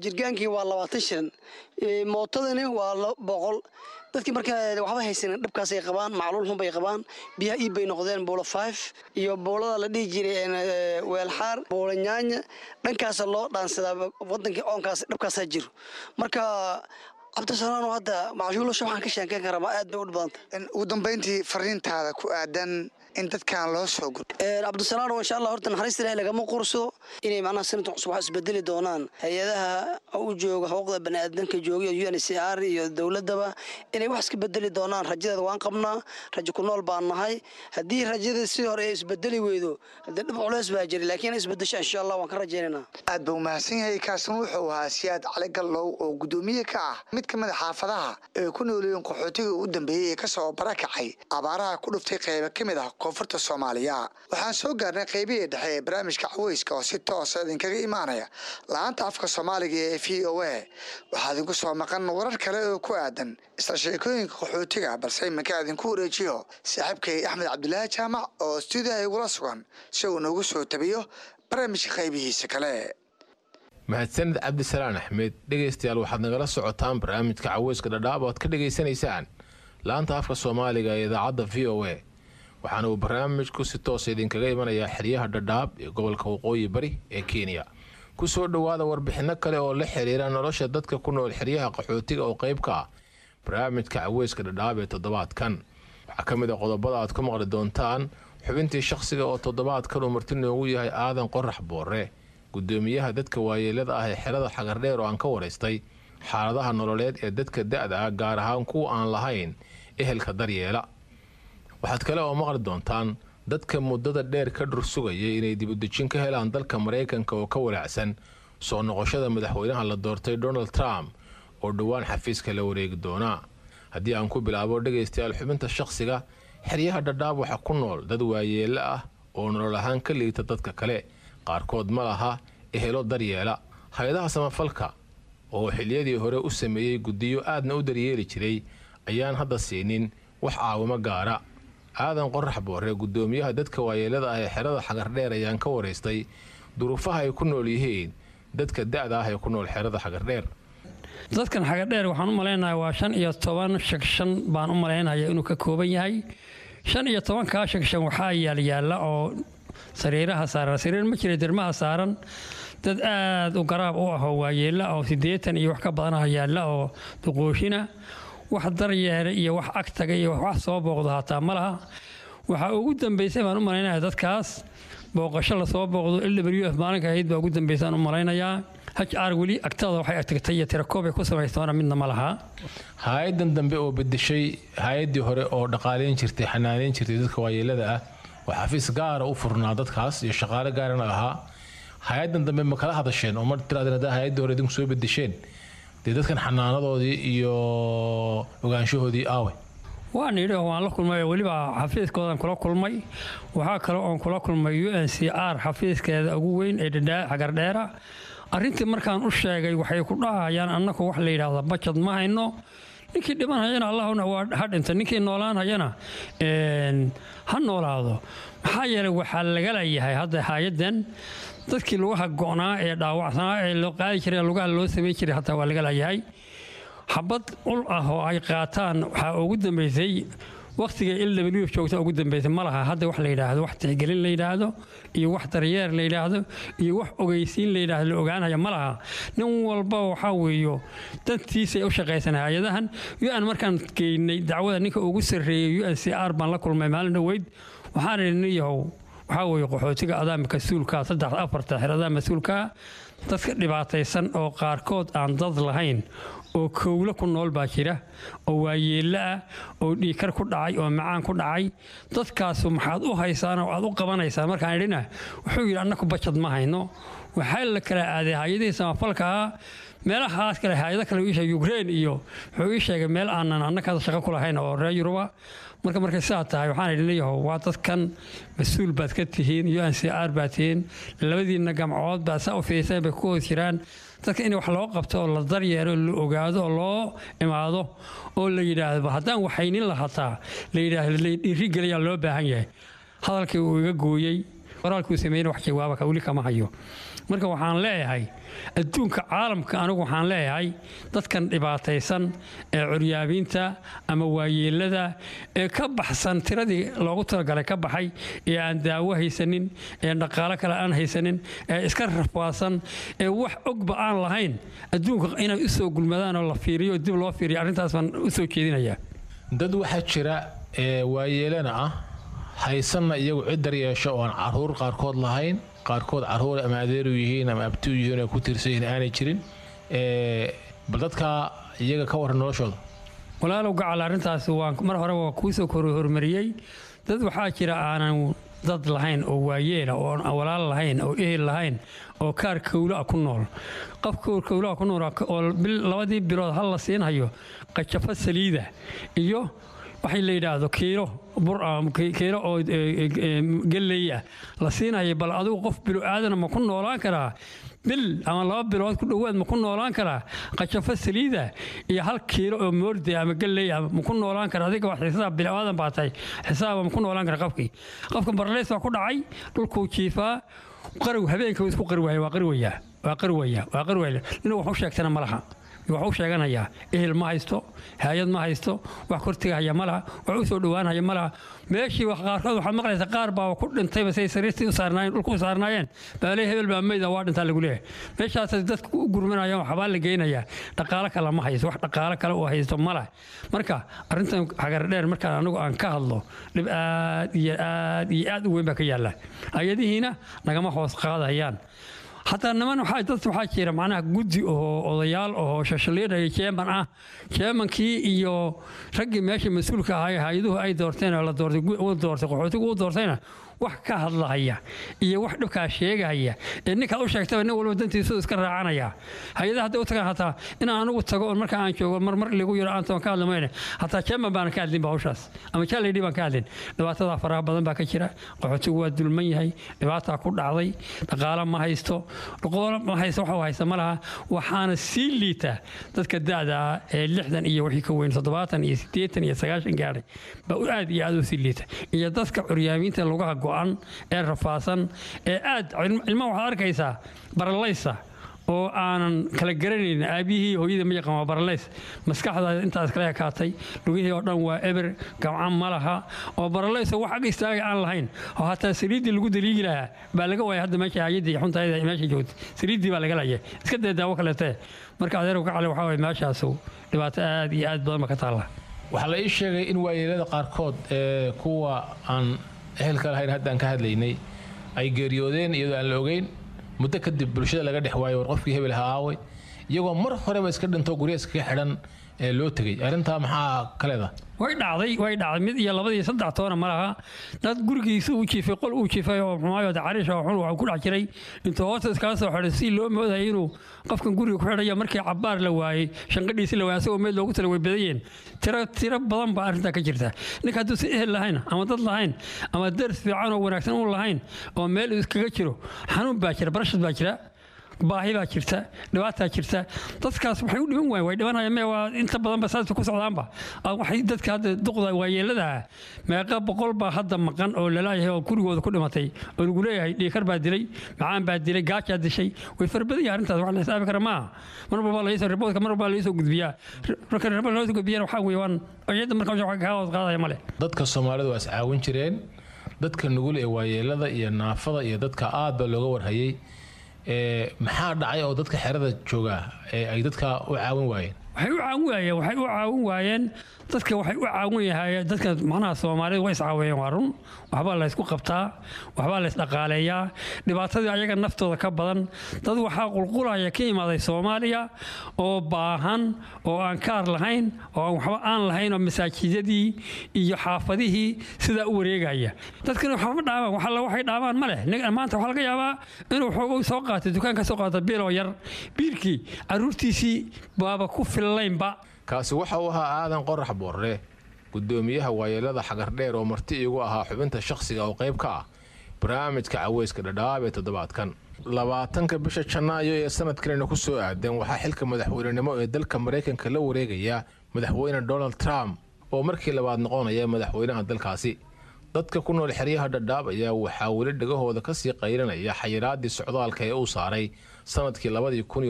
Jirgaankii waa 20 shilin, mootadani waa 100. Dadkii marka waxba haysanin dhibkaasay qabaan, macluul xun bay qabaan. Biyaha iib bay noqdeen Buulo 5 iyo buulada la dhihi jiray Weelxaar, Buulo Nyaanya, dhankaasa loo dhaansadaa wadankii. Oonkaas dhibkaasaa jiro. Marka Cabdisalaano, hadda macshuulasha waxaan ka sheekeyn karaa ma aad bay u dhib badanta. Ugu dambeyntii, fariintaada ku aadan in dadkan loo soo guro? Cabdisalaano, insha Allah, horta naxariista Ilahay lagama qursado. Inay macnaha sanadka cusub wax isbedeli doonaan, hay-adaha u jooga xuquuqda baniaadanka jooga, UNHCR iyo dowladaba, inay wax iska bedeli doonaan rajadeeda waan qabnaa. Rajo ku nool baan nahay. Haddii rajada sidii hore ay isbedeli weydo, haddii dhib culeys baa jira, laakiin inay isbedesho insha Allah waan ka rajaynaynaa. Aad buu mahadsan yahay. Kaasna wuxuu ahaa Siyaad Cali Gallow oo guddoomiye ka ah mid ka mid a xaafadaha ee ku noolyihiin qaxootiga u dambeeyey ee kasoo barakacay abaaraha ku dhuftay qeybo ka mid ah koonfurta Soomaaliya. Waxaan soo gaarnay qeybihii dhexe ee barnaamijka caweyska oo si toosa idinkaga imaanaya laanta afka Soomaaliga ee VOA. Waxaa idinku soo maqan warar kale oo ku aadan isla sheekooyinka qaxootiga, balse iminka idinku wareejiyo saaxiibkay Axmed Cabdulaahi Jaamac oo stuudiyaha igula sugan si uu noogu soo tabiyo barnaamijka qaybihiisa kale. Mahadsanid Cabdisalaan Axmed. Dhegaystayaal, waxaad nagala socotaan barnaamijka caweyska Dhadhaab oo aad ka dhegaysanaysaan laanta afka Soomaaliga ee idaacadda VOA. Waxaana uu barnaamijku si toosa idinkaga imanayaa xeryaha Dhadhaab ee gobolka Waqooyi Bari ee Kenya. Ku soo dhowaada warbixino kale oo la xiriira nolosha dadka ku nool xeryaha qaxootiga oo qayb ka ah barnaamijka caweyska Dhadhaab ee toddobaadkan. Waxaa ka mid a qodobada aad ku maqli doontaan xubintii shakhsiga oo toddobaadkan uu marti noogu yahay Aadan Qorax Boore, gudoomiyaha dadka waayeelada ah ee xerada Xagardheer, oo aan ka waraystay xaaladaha nololeed ee dadka da-da ah, gaar ahaan kuwa aan lahayn ehelka daryeela. Waxaad kale oo maqli doontaan dadka muddada dheer ka dhur sugayay inay dibudejin ka helaan dalka Maraykanka oo ka walaacsan soo noqoshada madaxweynaha la doortay Donald Trump oo dhowaan xafiiska la wareegi doonaa. Haddii aan ku bilaabo, dhegaystayaal, xubinta shakhsiga, xeryaha Dhadhaab waxaa ku nool dad waayeelo ah oo nolol ahaan ka liita dadka kale. Qaarkood ma laha ehelo daryeela. Hay-adaha samafalka oo xiliyadii hore u sameeyey guddiyo aadna u daryeeli jiray ayaan hadda siinin wax caawimo gaara. Aadan Qorax Boore, guddoomiyaha dadka waayeelada ah ee xerada Xagardheer, ayaan ka waraystay duruufaha ay ku nool yihiin dadka da-da ah ee ku nool xerada Xagardheer. Dadkan Xagadheer waxaan u malaynayaa waa 15 section baan u malaynaya inuu ka kooban yahay. 15-kaa section waxaa yaalyaalla oo sariiraha saaran, sariir ma jira, dermaha saaran dad aad u garaab u ah oo waayeella oo 80 iyo wax ka badanaha yaalla oo duqooshina. Wax daryeela iyo wax agtaga iyo wax soo booqda hataa ma laha. Waxaa ugu dambeysay baan u malaynaya dadkaas booqasho lasoo booqdo LWF maalinka ahayd baa ugu dambeysaan u malaynayaa. HR weli agtada waxay agtagtay iyo tirakoob ay ku samaystoona midna ma laha. Hay-adan dambe oo bedeshay hay-adii hore oo dhaqaaleyn jirtay, xanaaneyn jirtay dadka waayeelada ah, oo xafiis gaara u furnaa dadkaas iyo shaqaale gaarana lahaa, hay-adan dambe ma kala hadasheen oo ma tirahdeen haddaa hay-addii hore idinku soo bedesheen, dee dadkan xanaanadoodii iyo ogaanshahoodii aawe? Waan idhi oo waan la kulmay oo weliba xafiiskoodan kula kulmay. Waxaa kale oon kula kulmay UNHCR xafiiskeeda ugu weyn ee Dhadhaa Xagardheera. Arrintii markaan u sheegay, waxay ku dhahayaan annaku wax la yidhaahda bajad ma hayno. Ninkii dhimanhayana Allahuna waa ha dhinta, ninkii noolaanhayana ha noolaado. Maxaa yeelay waxaa laga leeyahay hadda hay-addan dadkii lugaha go'naa ee dhaawacsanaa ee loo qaadi jiray, lugaha loo samey jiray, hataa waa laga leeyahay. Xabad ul ah oo ay qaataan waxaa ugu dambeysay wakhtiga LW joogta ugu dambeysay. Ma laha hadda wax la yidhaahdo, wax tixgelin la yidhaahdo iyo wax daryeer la yidhaahdo iyo wax ogeysiin la yidhaahdo la ogaanaya ma laha. Nin walba waxaa weeyo dantiisay u shaqaysan hay-adahan UN. Markaan geynay dacwada, ninka ugu sarreeyey UNCR baan la kulmay maalin dhoweyd. Waxaan idhi, nin yahow, waxaa weeye qaxootiga adaa mas-uulkaa, saddex afarta xeradaa mas-uulkaa, dadka dhibaataysan oo qaarkood aan dad lahayn oo kowlo ku nool baa jira, oo waayeello ah, oo dhiikar ku dhacay, oo macaan ku dhacay. Dadkaasu maxaad u haysaan oo aad u qabanaysaan? Markaan idhina, wuxuu yidhi, annaku bajad ma hayno. Waxaa la kala aaday hay-adihii samafalkaa, meelahaas kale, hay-ado kale uu ii sheegay, Ukraine iyo wuxuu ii sheegay meel aanan annaka shaqo ku lahayn oo reer Yuruba. Marka markay sidaa tahay, waxaan idhi, leeyahow, waa dadkan mas-uul baad ka tihiin, UNCR baad tihiin, labadiinna gamcood baa saa u fiirseen bay ku hoos jiraan. Dadka in wax loo qabto oo la daryeelo, la ogaado oo loo imaado oo la yidhaahdo haddaan waxaynin lahataa la yidhaahdo, la dhiirigeliyaa loo baahan yahay. Hadalkii uu iga gooyey, qoraalkuu sameeyey, wax jawaaba ka weli kama hayo. Marka waxaan leeyahay adduunka caalamka, anigu waxaan leeyahay dadkan dhibaataysan ee curyaabiinta ama waayeelada ee ka baxsan tiradii loogu talagalay ka baxay, ee aan daawo haysanin, ee dhaqaalo kale aan haysanin, ee iska rafaadsan, ee wax ogba aan lahayn, adduunka inay u soo gulmadaan oo la fiiriyo, dib loo fiiriyo, arrintaas baan u soo jeedinayaa. Dad waxaa jira ee waayeelana ah, haysanna iyagu cid daryeesho, oo aan caruur qaarkood lahayn, qaarkood caruur ama adeeru yihiin ama abti u yihiin oo ku tiirsan yihiin aanay jirin. Bal dadka iyaga ka warran noloshooda. Walaalow gacal, arrintaas waan mar hore waa kuu soo kor horumariyey. Dad waxaa jira aanan dad lahayn oo waayeela, oo aan walaal lahayn oo ehel lahayn, oo kaar kowla ku nool. Qof kaar kowla ku nool oo labadii bilood hal la siinhayo qajafo saliida iyo waxay la yidhaahdo kiilo bur ah, kiilo oo galley ah la siinaya. Bal adigu qof bilo aadana ma ku noolaan karaa bil ama 2 bilood ku dhowaad? Ma ku noolaan karaa qajafo saliida iyo 1 kiilo oo moorde ama galley ah? Ma ku noolaan karaa? Adiga wax xisaab, bilo aadan baa tahay, xisaaba ma ku noolaan kara qofkii? Qofka barleys baa ku dhacay, dhulkuu jiifaa, qarow habeenka wuu isku qari waaya, waa qarwayaa, waa qarwaya, waa qarwaya. Inuu wax u sheegtana ma laha, wax u sheeganayaa. Ehel ma haysto, hay-ad ma haysto, wax kortigahaya ma laha, wax u soo dhowaanhaya ma laha. Meeshii wax qaarkood waxaad maqlaysa qaar baa ku dhintayba say sariirtii u saarnaayeen, dhulku u saarnaayeen baa lee, hebel baa meyda, waa dhintaa lagu leeyahay. Meeshaas dadku u gurmanayaan, waxbaa la geynayaa. Dhaqaalo kale ma haysto, wax dhaqaalo kale oo haysto ma laha. Marka arrintan Xagardheer markaan anigu aan ka hadlo, dhib aad iyo aad iyo aad u weyn baa ka yaalla. Hay-adihiina nagama hoos qaadayaan. Hataa niman waxaa, dad waxaa jira macnaha guddi oo odayaal oo shashaliidhaya, chairman ah. Chairmankii iyo raggii meesha mas-uulka ahaa, hay-aduhu ay doorteen oo la doortay, uu doortay, qaxootigu uu doortayna, wax ka hadlahaya iyo wax dhibkaa sheegahaya ee ninkaad u sheegtaba, nin walba dantiisu iska raacanaya. Hay-adaha hadday u tagaan, hataa inaan anigu tago oo marka aan joogo mar mar ligu yaro aan toon ka hadli mayne, hataa chairman baan ka hadlin ba hawshaas ama chairlady baan ka hadlin. Dhibaatada faraha badan baa ka jira. Qaxootigu waa dulman yahay, dhibaataa ku dhacday, dhaqaalo ma haysto, dhaqaalo ma haysto, waxa uu haysta ma laha. Waxaana sii liita dadka da'da ah ee 60 iyo wixii ka weyn, 70 iyo 80 iyo 90 gaadhay baa aad iyo aad u sii liita, iyo dadka curyaamiinta lugaha go'an ee rafaasan ee aad ilmaha waxaad arkaysaa baralaysa oo aanan kala garanayn aabihii hooyada ma yaqaan, waa baraleys, maskaxda intaas kala ekaatay, lugihii oo dhan waa eber, gamcan ma laha, oo baraleys oo wax ag istaaga aan lahayn, oo hataa saliiddii lagu daliigi lahaa baa laga waayay. Hadda meesha hayadii xuntayda meesha joogtay saliiddii baa laga laayay, iska dee daawo kaleete. Marka adeer gacale, waxaa waye meeshaasu dhibaato aad iyo aad badan ba ka taalla. Waxaa la ii sheegay in waayeelada qaarkood ee kuwa aan ehelka lahayn haddaan ka hadlaynay ay geeriyoodeen iyadoo aan la ogeyn. Muddo kadib bulshada laga dhex waayo, war qofkii hebel ha aaway, iyagoo mar horeba iska dhinto, gurya iskaga xidhan ee loo tegey. Arrintaa maxaa ka leedahay? Way dhacday, way dhacday. Mid iyo labadii saddex toona ma laha. Dad gurigiisa uu jiifay, qol uu jiifay oo xumaayo cariish oo xun waxuu ku dhex jiray, intuu hoosta iskaga soo xidhay si loo moodayay inuu qofkan guriga ku xidhaya. Markii cabbaar la waayey, shanqadhiisi la waayey, asagoo meel loogu tala way badayeen. Tiro tiro badan baa arrintaa ka jirta. Ninka hadduu si ehel lahayn ama dad lahayn ama dars fiican oo wanaagsan uun lahayn oo meel uu iskaga jiro, xanuun baa jira, barashad baa jira. Baahi baa jirta, dhibaataa jirta. Dadkaas waxay u dhiman waayeen, way dhimanayaan mee, waa inta badanba saas ku socdaanba. Waxay dadka hadda duqda waayeelada meeqa boqol baa hadda maqan oo lalaayahay oo gurigooda ku dhimatay oo lagu leeyahay dhiikar baa dilay, macaan baa dilay, gaajaa dishay. Way fara badan yahay arrintaas, wax la xisaabi kara maaha. Mar walba laysoo riboodka, mar walba laysoo gudbiyaa. Marka ribood loo soo gudbiyana waxaa weeye waan iyada marka wax kaa hoos qaadaya male. Dadka Soomaalidu waa is caawin jireen. Dadka nugul ee waayeelada iyo naafada iyo dadka aad baa looga warhayay. Maxaa dhacay oo dadka xerada jooga ee ay dadka u caawin waayeen? Waxay u caawin waayeen dadka, waxay u caawin yahay dadka, macnaha Soomaalida way iscaawiyeen, waa run. Waxbaa la isku qabtaa, waxbaa la isdhaqaaleeyaa. Dhibaatadii ayaga naftooda ka badan. Dad waxaa qulqulaya ka imaaday Soomaaliya oo baahan oo aan kaar lahayn oo aan waxba aan lahayn oo masaajidadii iyo xaafadihii sidaa u wareegaya. Dadkana waxba ma dhaabaan, wax alla waxay dhaabaan ma leh. Maanta waxaa laga yaabaa inuu xoogow soo qaatay, dukaanka soo qaata biiloo yar, biilkii caruurtiisii baaba ku fillaynba. Kaasi waxa uu ahaa Aadan Qorax Boorre, gudoomiyaha waayeelada Xagardheer, oo marti iigu ahaa xubinta shakhsiga oo qayb ka ah barnaamijka Caweyska Dhadhaab ee toddobaadkan. 20-ka bisha Janaayo ee sanadkanina ku soo aadan waxaa xilka madaxweynenimo ee dalka Maraykanka la wareegaya madaxweyne Donald Trump oo markii labaad noqonaya madaxweynaha dalkaasi. Dadka ku nool xeryaha Dhadhaab ayaa waxaa weli dhagahooda kasii qaylinaya xayiraadii socdaalka ee uu saaray sanadkii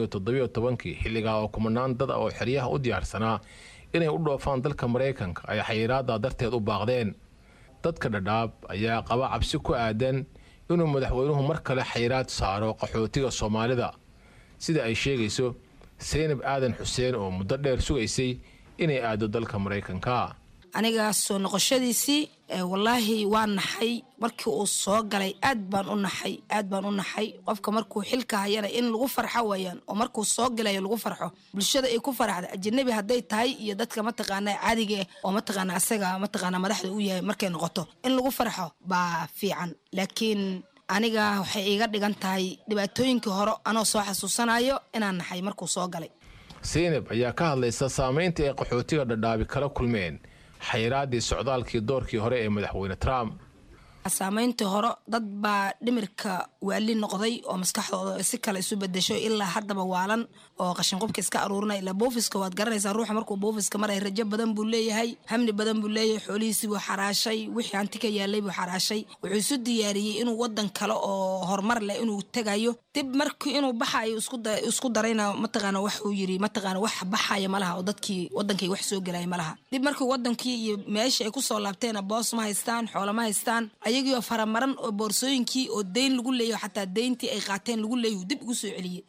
2017-kii, xilligaa oo kumanaan dad ah oo xeryaha u diyaarsanaa inay u dhoofaan dalka Maraykanka ay xayiraada darteed u baaqdeen. Dadka Dhadhaab ayaa qaba cabsi ku aadan inuu madaxweynuhu mar kale xayiraad saaro qaxootiga Soomaalida, sida ay sheegayso Seynab Aadan Xuseen oo muddo dheer sugaysay inay aado dalka Maraykanka. Aniga soo noqoshadiisii, wallaahi waa naxay markii uu soo galay. Aad baan u naxay, aad baan u naxay. Qofka markuu xilka hayana in lagu farxo weeyaan, oo markuu soo galayo lagu farxo, bulshada ay ku faraxda, ajanabi hadday tahay iyo dadka mataqaana caadiga eh oo mataqaana asaga mataqaana madaxda u yahay, markay noqoto in lagu farxo baa fiican. Laakiin aniga waxay iiga dhigan tahay dhibaatooyinkii hore anoo soo xasuusanayo inaan naxay markuu soo galay. Seynab ayaa ka hadlaysa saameynta ay qaxootiga Dhadhaabi kala kulmeen xayiraadii socdaalkii doorkii hore ee madaxweyne Trump. Saameyntii hore, dad baa dhimirka waali noqday oo maskaxdooda si kale isu bedesho, ilaa haddaba waalan oo qashinqubka iska aruurinaya. Ilaa buufiska waad garanaysaa, ruuxa markuu buufiska maray rajo badan buu leeyahay, hamni badan buu leeyahay. Xoolihiisii buu xaraashay, wixii hanti ka yaalay buu xaraashay. Wuxuu isu diyaariyey inuu wadan kale oo horumar leh inuu tegayo. Dib markii inuu baxayo isku darayna, mataqaana waxuu yiri, mataqaana wax baxaya malaha oo dadkii wadankay wax soo gelaya malaha. Dib markii wadankii iyo meesha ay kusoo laabteena, boos ma haystaan, xoolo ma haystaan, ayagiioo faramaran oo boorsooyinkii oo deyn lagu leeyaho, xataa deyntii ay qaateen lagu leeyahu dib ugu soo celiyey.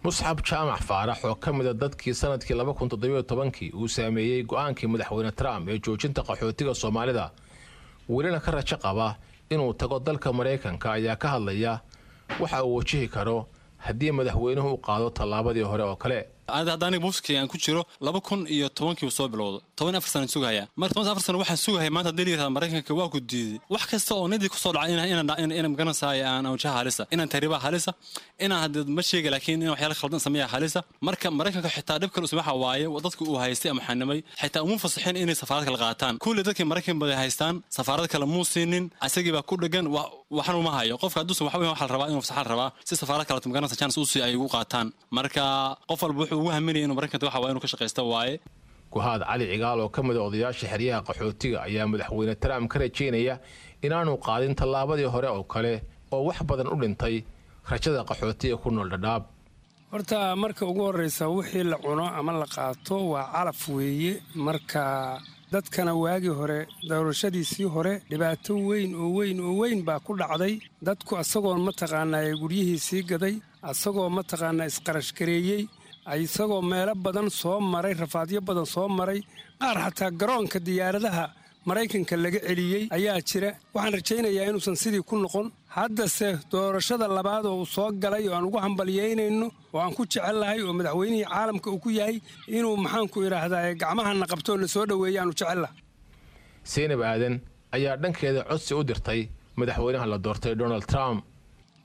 Musxab Jaamac Faarax oo ka mid a dadkii sanadkii 2017-kii uu saameeyey go'aankii madaxweyne Trump ee joojinta qaxootiga Soomaalida, welina ka rajo qaba inuu tago dalka Maraykanka, ayaa ka hadlaya waxa uu wajihi karo haddii madaxweynuhu u qaado tallaabadii hore oo kale. Hadda aniga buufkii aan ku jiro 2010-kii soo bilowdo, 14 sano sugahaya. Marka 14 sano waxaan sugahaya, maanta haddii la yirahdo Maraykanka waa ku diiday, wax kasta oo nidii kusoo dhacay inaan magaranaysaay aan wajaha halisa, inaan tahriibaha halisa, inaan hadda ma sheega, laakiin inaan waxyaala khaldan sameeya halisa. Marka Maraykanka xitaa dhib kale waxa waaye dadka uu haystay ama xanimay xitaa uma fasaxin inay safaarad kale qaataan. Kulli dadkii Maraykan baday haystaan safaarad kale muu siinin, isagii baa ku dhegan, waxna uma hayo. Qofka hadduusan waxa waxa la rabaa inuu fasaxa la rabaa si safaarad kale magaranaysa chance u sii ay ugu qaataan. Marka qof walba wuxuu ugu haminaya inuu Maraykanka waxa waa inuu ka shaqaysto waaye. Guhaad Cali Cigaal oo ka mid a odayaasha xeryaha qaxootiga ayaa madaxweyne Trump ka rajaynaya inaanu qaadin tallaabadii hore oo kale oo wax badan u dhintay rajada qaxootiga ku nool Dhadhaab. Horta marka ugu horreysa, wixii la cuno ama la qaato waa calaf weeye. Marka dadkana waagii hore, doorashadiisii hore, dhibaato weyn oo weyn oo weyn baa ku dhacday dadku, asagoon mataqaanaa guryihiisii gaday, asagoo mataqaanaa isqarashgareeyey, isagoo meelo badan soo maray, rafaadyo badan soo maray, qaar xataa garoonka diyaaradaha Maraykanka laga celiyey ayaa jira. Waxaan rajaynayaa inuusan sidii ku noqon. Haddase doorashada labaad oo uu soo galay oo aan ugu hambalyeynayno oo aan ku jecellahay oo madaxweynihii caalamka uu ku yahay, inuu maxaanku idhaahdaa gacmahana qabto oo na soo dhoweeya aanu jecellahay. Seynab Aadan ayaa dhankeeda codsi u dirtay madaxweynaha la doortay Donald Trump.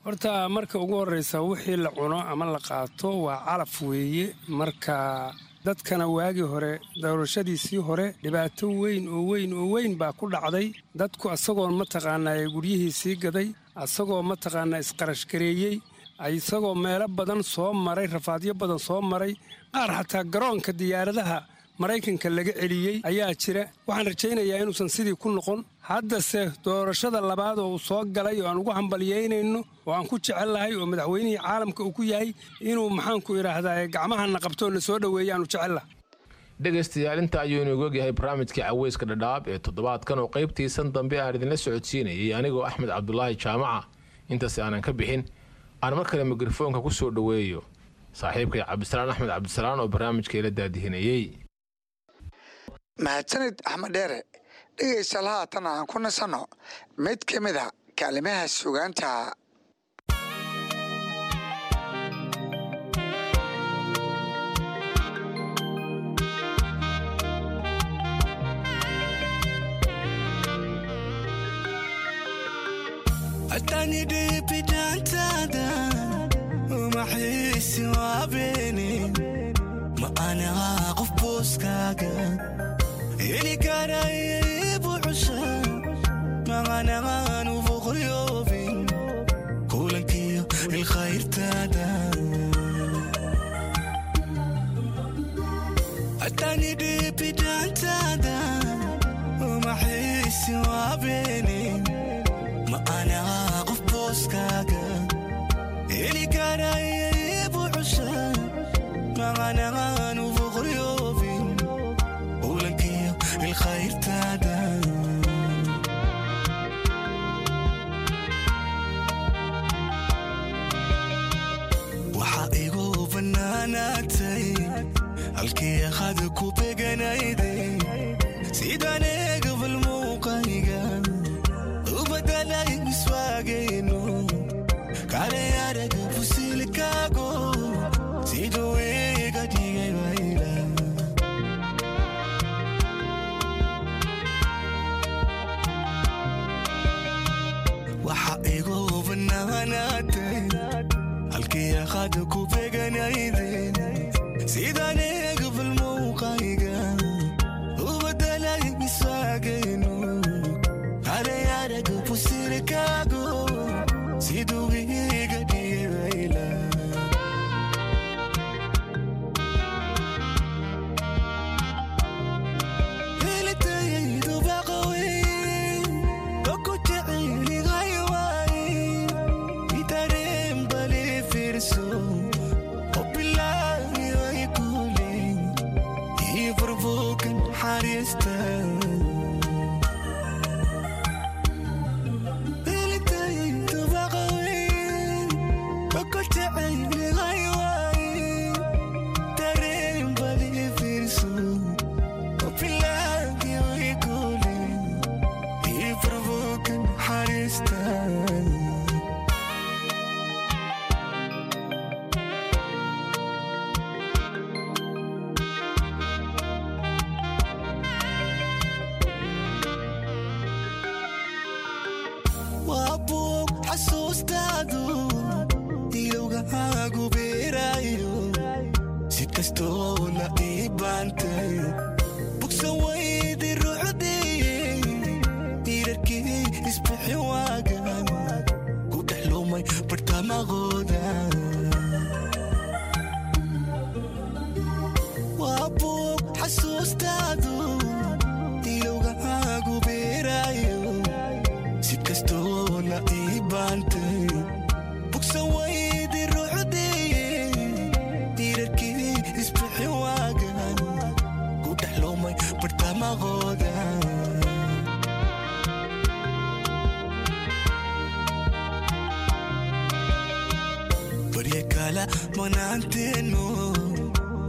Horta marka ugu horreysa, wixii la cuno ama la qaato waa calaf weeye. Marka dadkana waagii hore, doorashadiisii hore, dhibaato weyn oo weyn oo weyn baa ku dhacday dadku, asagoon mataqaanaa guryihiisii gaday, asagoo mataqaanaa isqarashgareeyey, Isagoo meelo badan soo maray, rafaadyo badan soo maray, qaar xataa garoonka diyaaradaha Maraykanka laga celiyey ayaa jira. Waxaan rajaynayaa inuusan sidii ku noqon. Haddase doorashada labaad oo uu soo galay oo aan ugu hambalyeynayno oo aan ku jecellahay oo madaxweynihii caalamka uu ku yahay inuu, maxaanku idhaahdaa, gacmahana qabtoo na soo dhoweeya aanu jecellahay. Dhegaystayaal, inta ayuu inoogu ogyahay barnaamijkii Caweyska Dhadhaab ee toddobaadkan oo qaybtiisan dambe aan idinla socodsiinayay anigoo Axmed Cabdulaahi Jaamaca. Intaas aanan ka bixin, aan mar kale mikrofoonka ku soo dhoweeyo saaxiibkay Cabdisalaan Axmed Cabdisalaan oo barnaamijka ila daadihinayey. Mahadsanid, Axmed Dheere. Dhegaystayaal, haatan aan ku nasanno mid ka mid a kaalimaha sugaanta. Atani dhibidaantaada uma xiisi waabeeni, ma anaa qof booskaaga heli karaya buuxsha, maanaan uboqoryoobin kulankiyo ilkhayrtaada. Atani dhibidaantaada uma xiisi waabeeni, ma anaa qof booskaaga heli karaya buuxsha, maanaan uboqoryoobin kulankiyo ilkhayrtaada. Waxaa igu bannaanaatay halkii qad ku beganayday, sidaan eegabal muuqayga u badalay miswaagayno kale araga fusilkaago siduu iga dhigay wayla. Waxa igu bannaanaatay halkii qad ku beganayday, sidaan eegabal muuqayga u badalay miswaagayno kale araga fusilkaago siduu iga dhigay wayla. Helitaydu baqaweyn oo ku jecelihay waay idareen bali fiirso oo bilaahi way kule ii furfuukan xariista. Helitaydu baqaweyn oo ku jecelihay waay dareen bali fiirso oo bilaahi way kule ii furfuukan xariista. Waa buug xasuustaadu ilowgaagu beeraayo, si kastoo la ii baantay bugsan waydi ruuxdii diirarkii isbixi waagan ku dhex lumay bartamaqooda. Waa buug xasuustaadu ilowgaagu beeraayo, si kastoo la ii baantay bugsan waydi ruuxdii diirarkii isbixi waagan ku dhex lumay bartamaqooda. Barya kala manaanteenu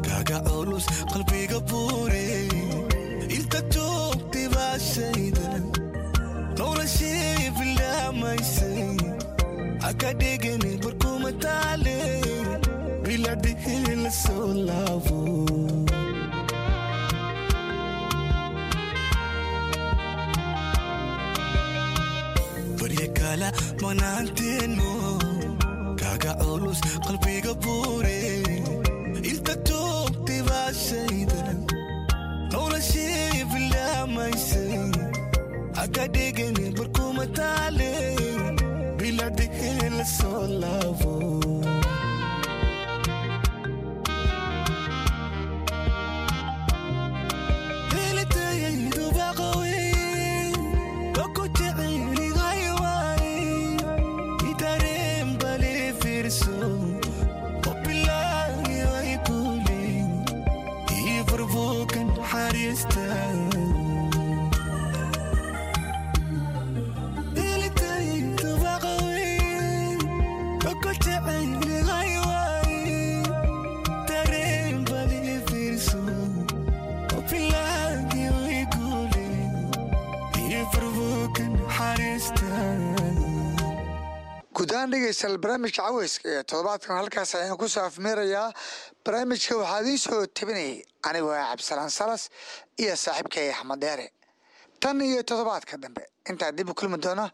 kaaga culus qalbiga buure, inta joogtay baa shayda noloshii bilaamaysay haka dhigani barkuma taale biladhihi la soo laabo. Barya kala manaanteenu kaaga culus qalbiga buure, inta joogtay baa shayda noloshii bilaamaysay haka dhigani barkuma taale biladhihi la soo laabo. heestan. Guud ahaan dhegeystayaal, barnaamijka caweyska ee toddobaadkan halkaas ayaan ku soo afmeerayaa. Barnaamijka waxaa idiin soo tabinayay anigoo ah Cabdisalaan Salas iyo saaxiibkay Axmed Dheere. Tan iyo toddobaadka dambe intaa dib u kulmi doona.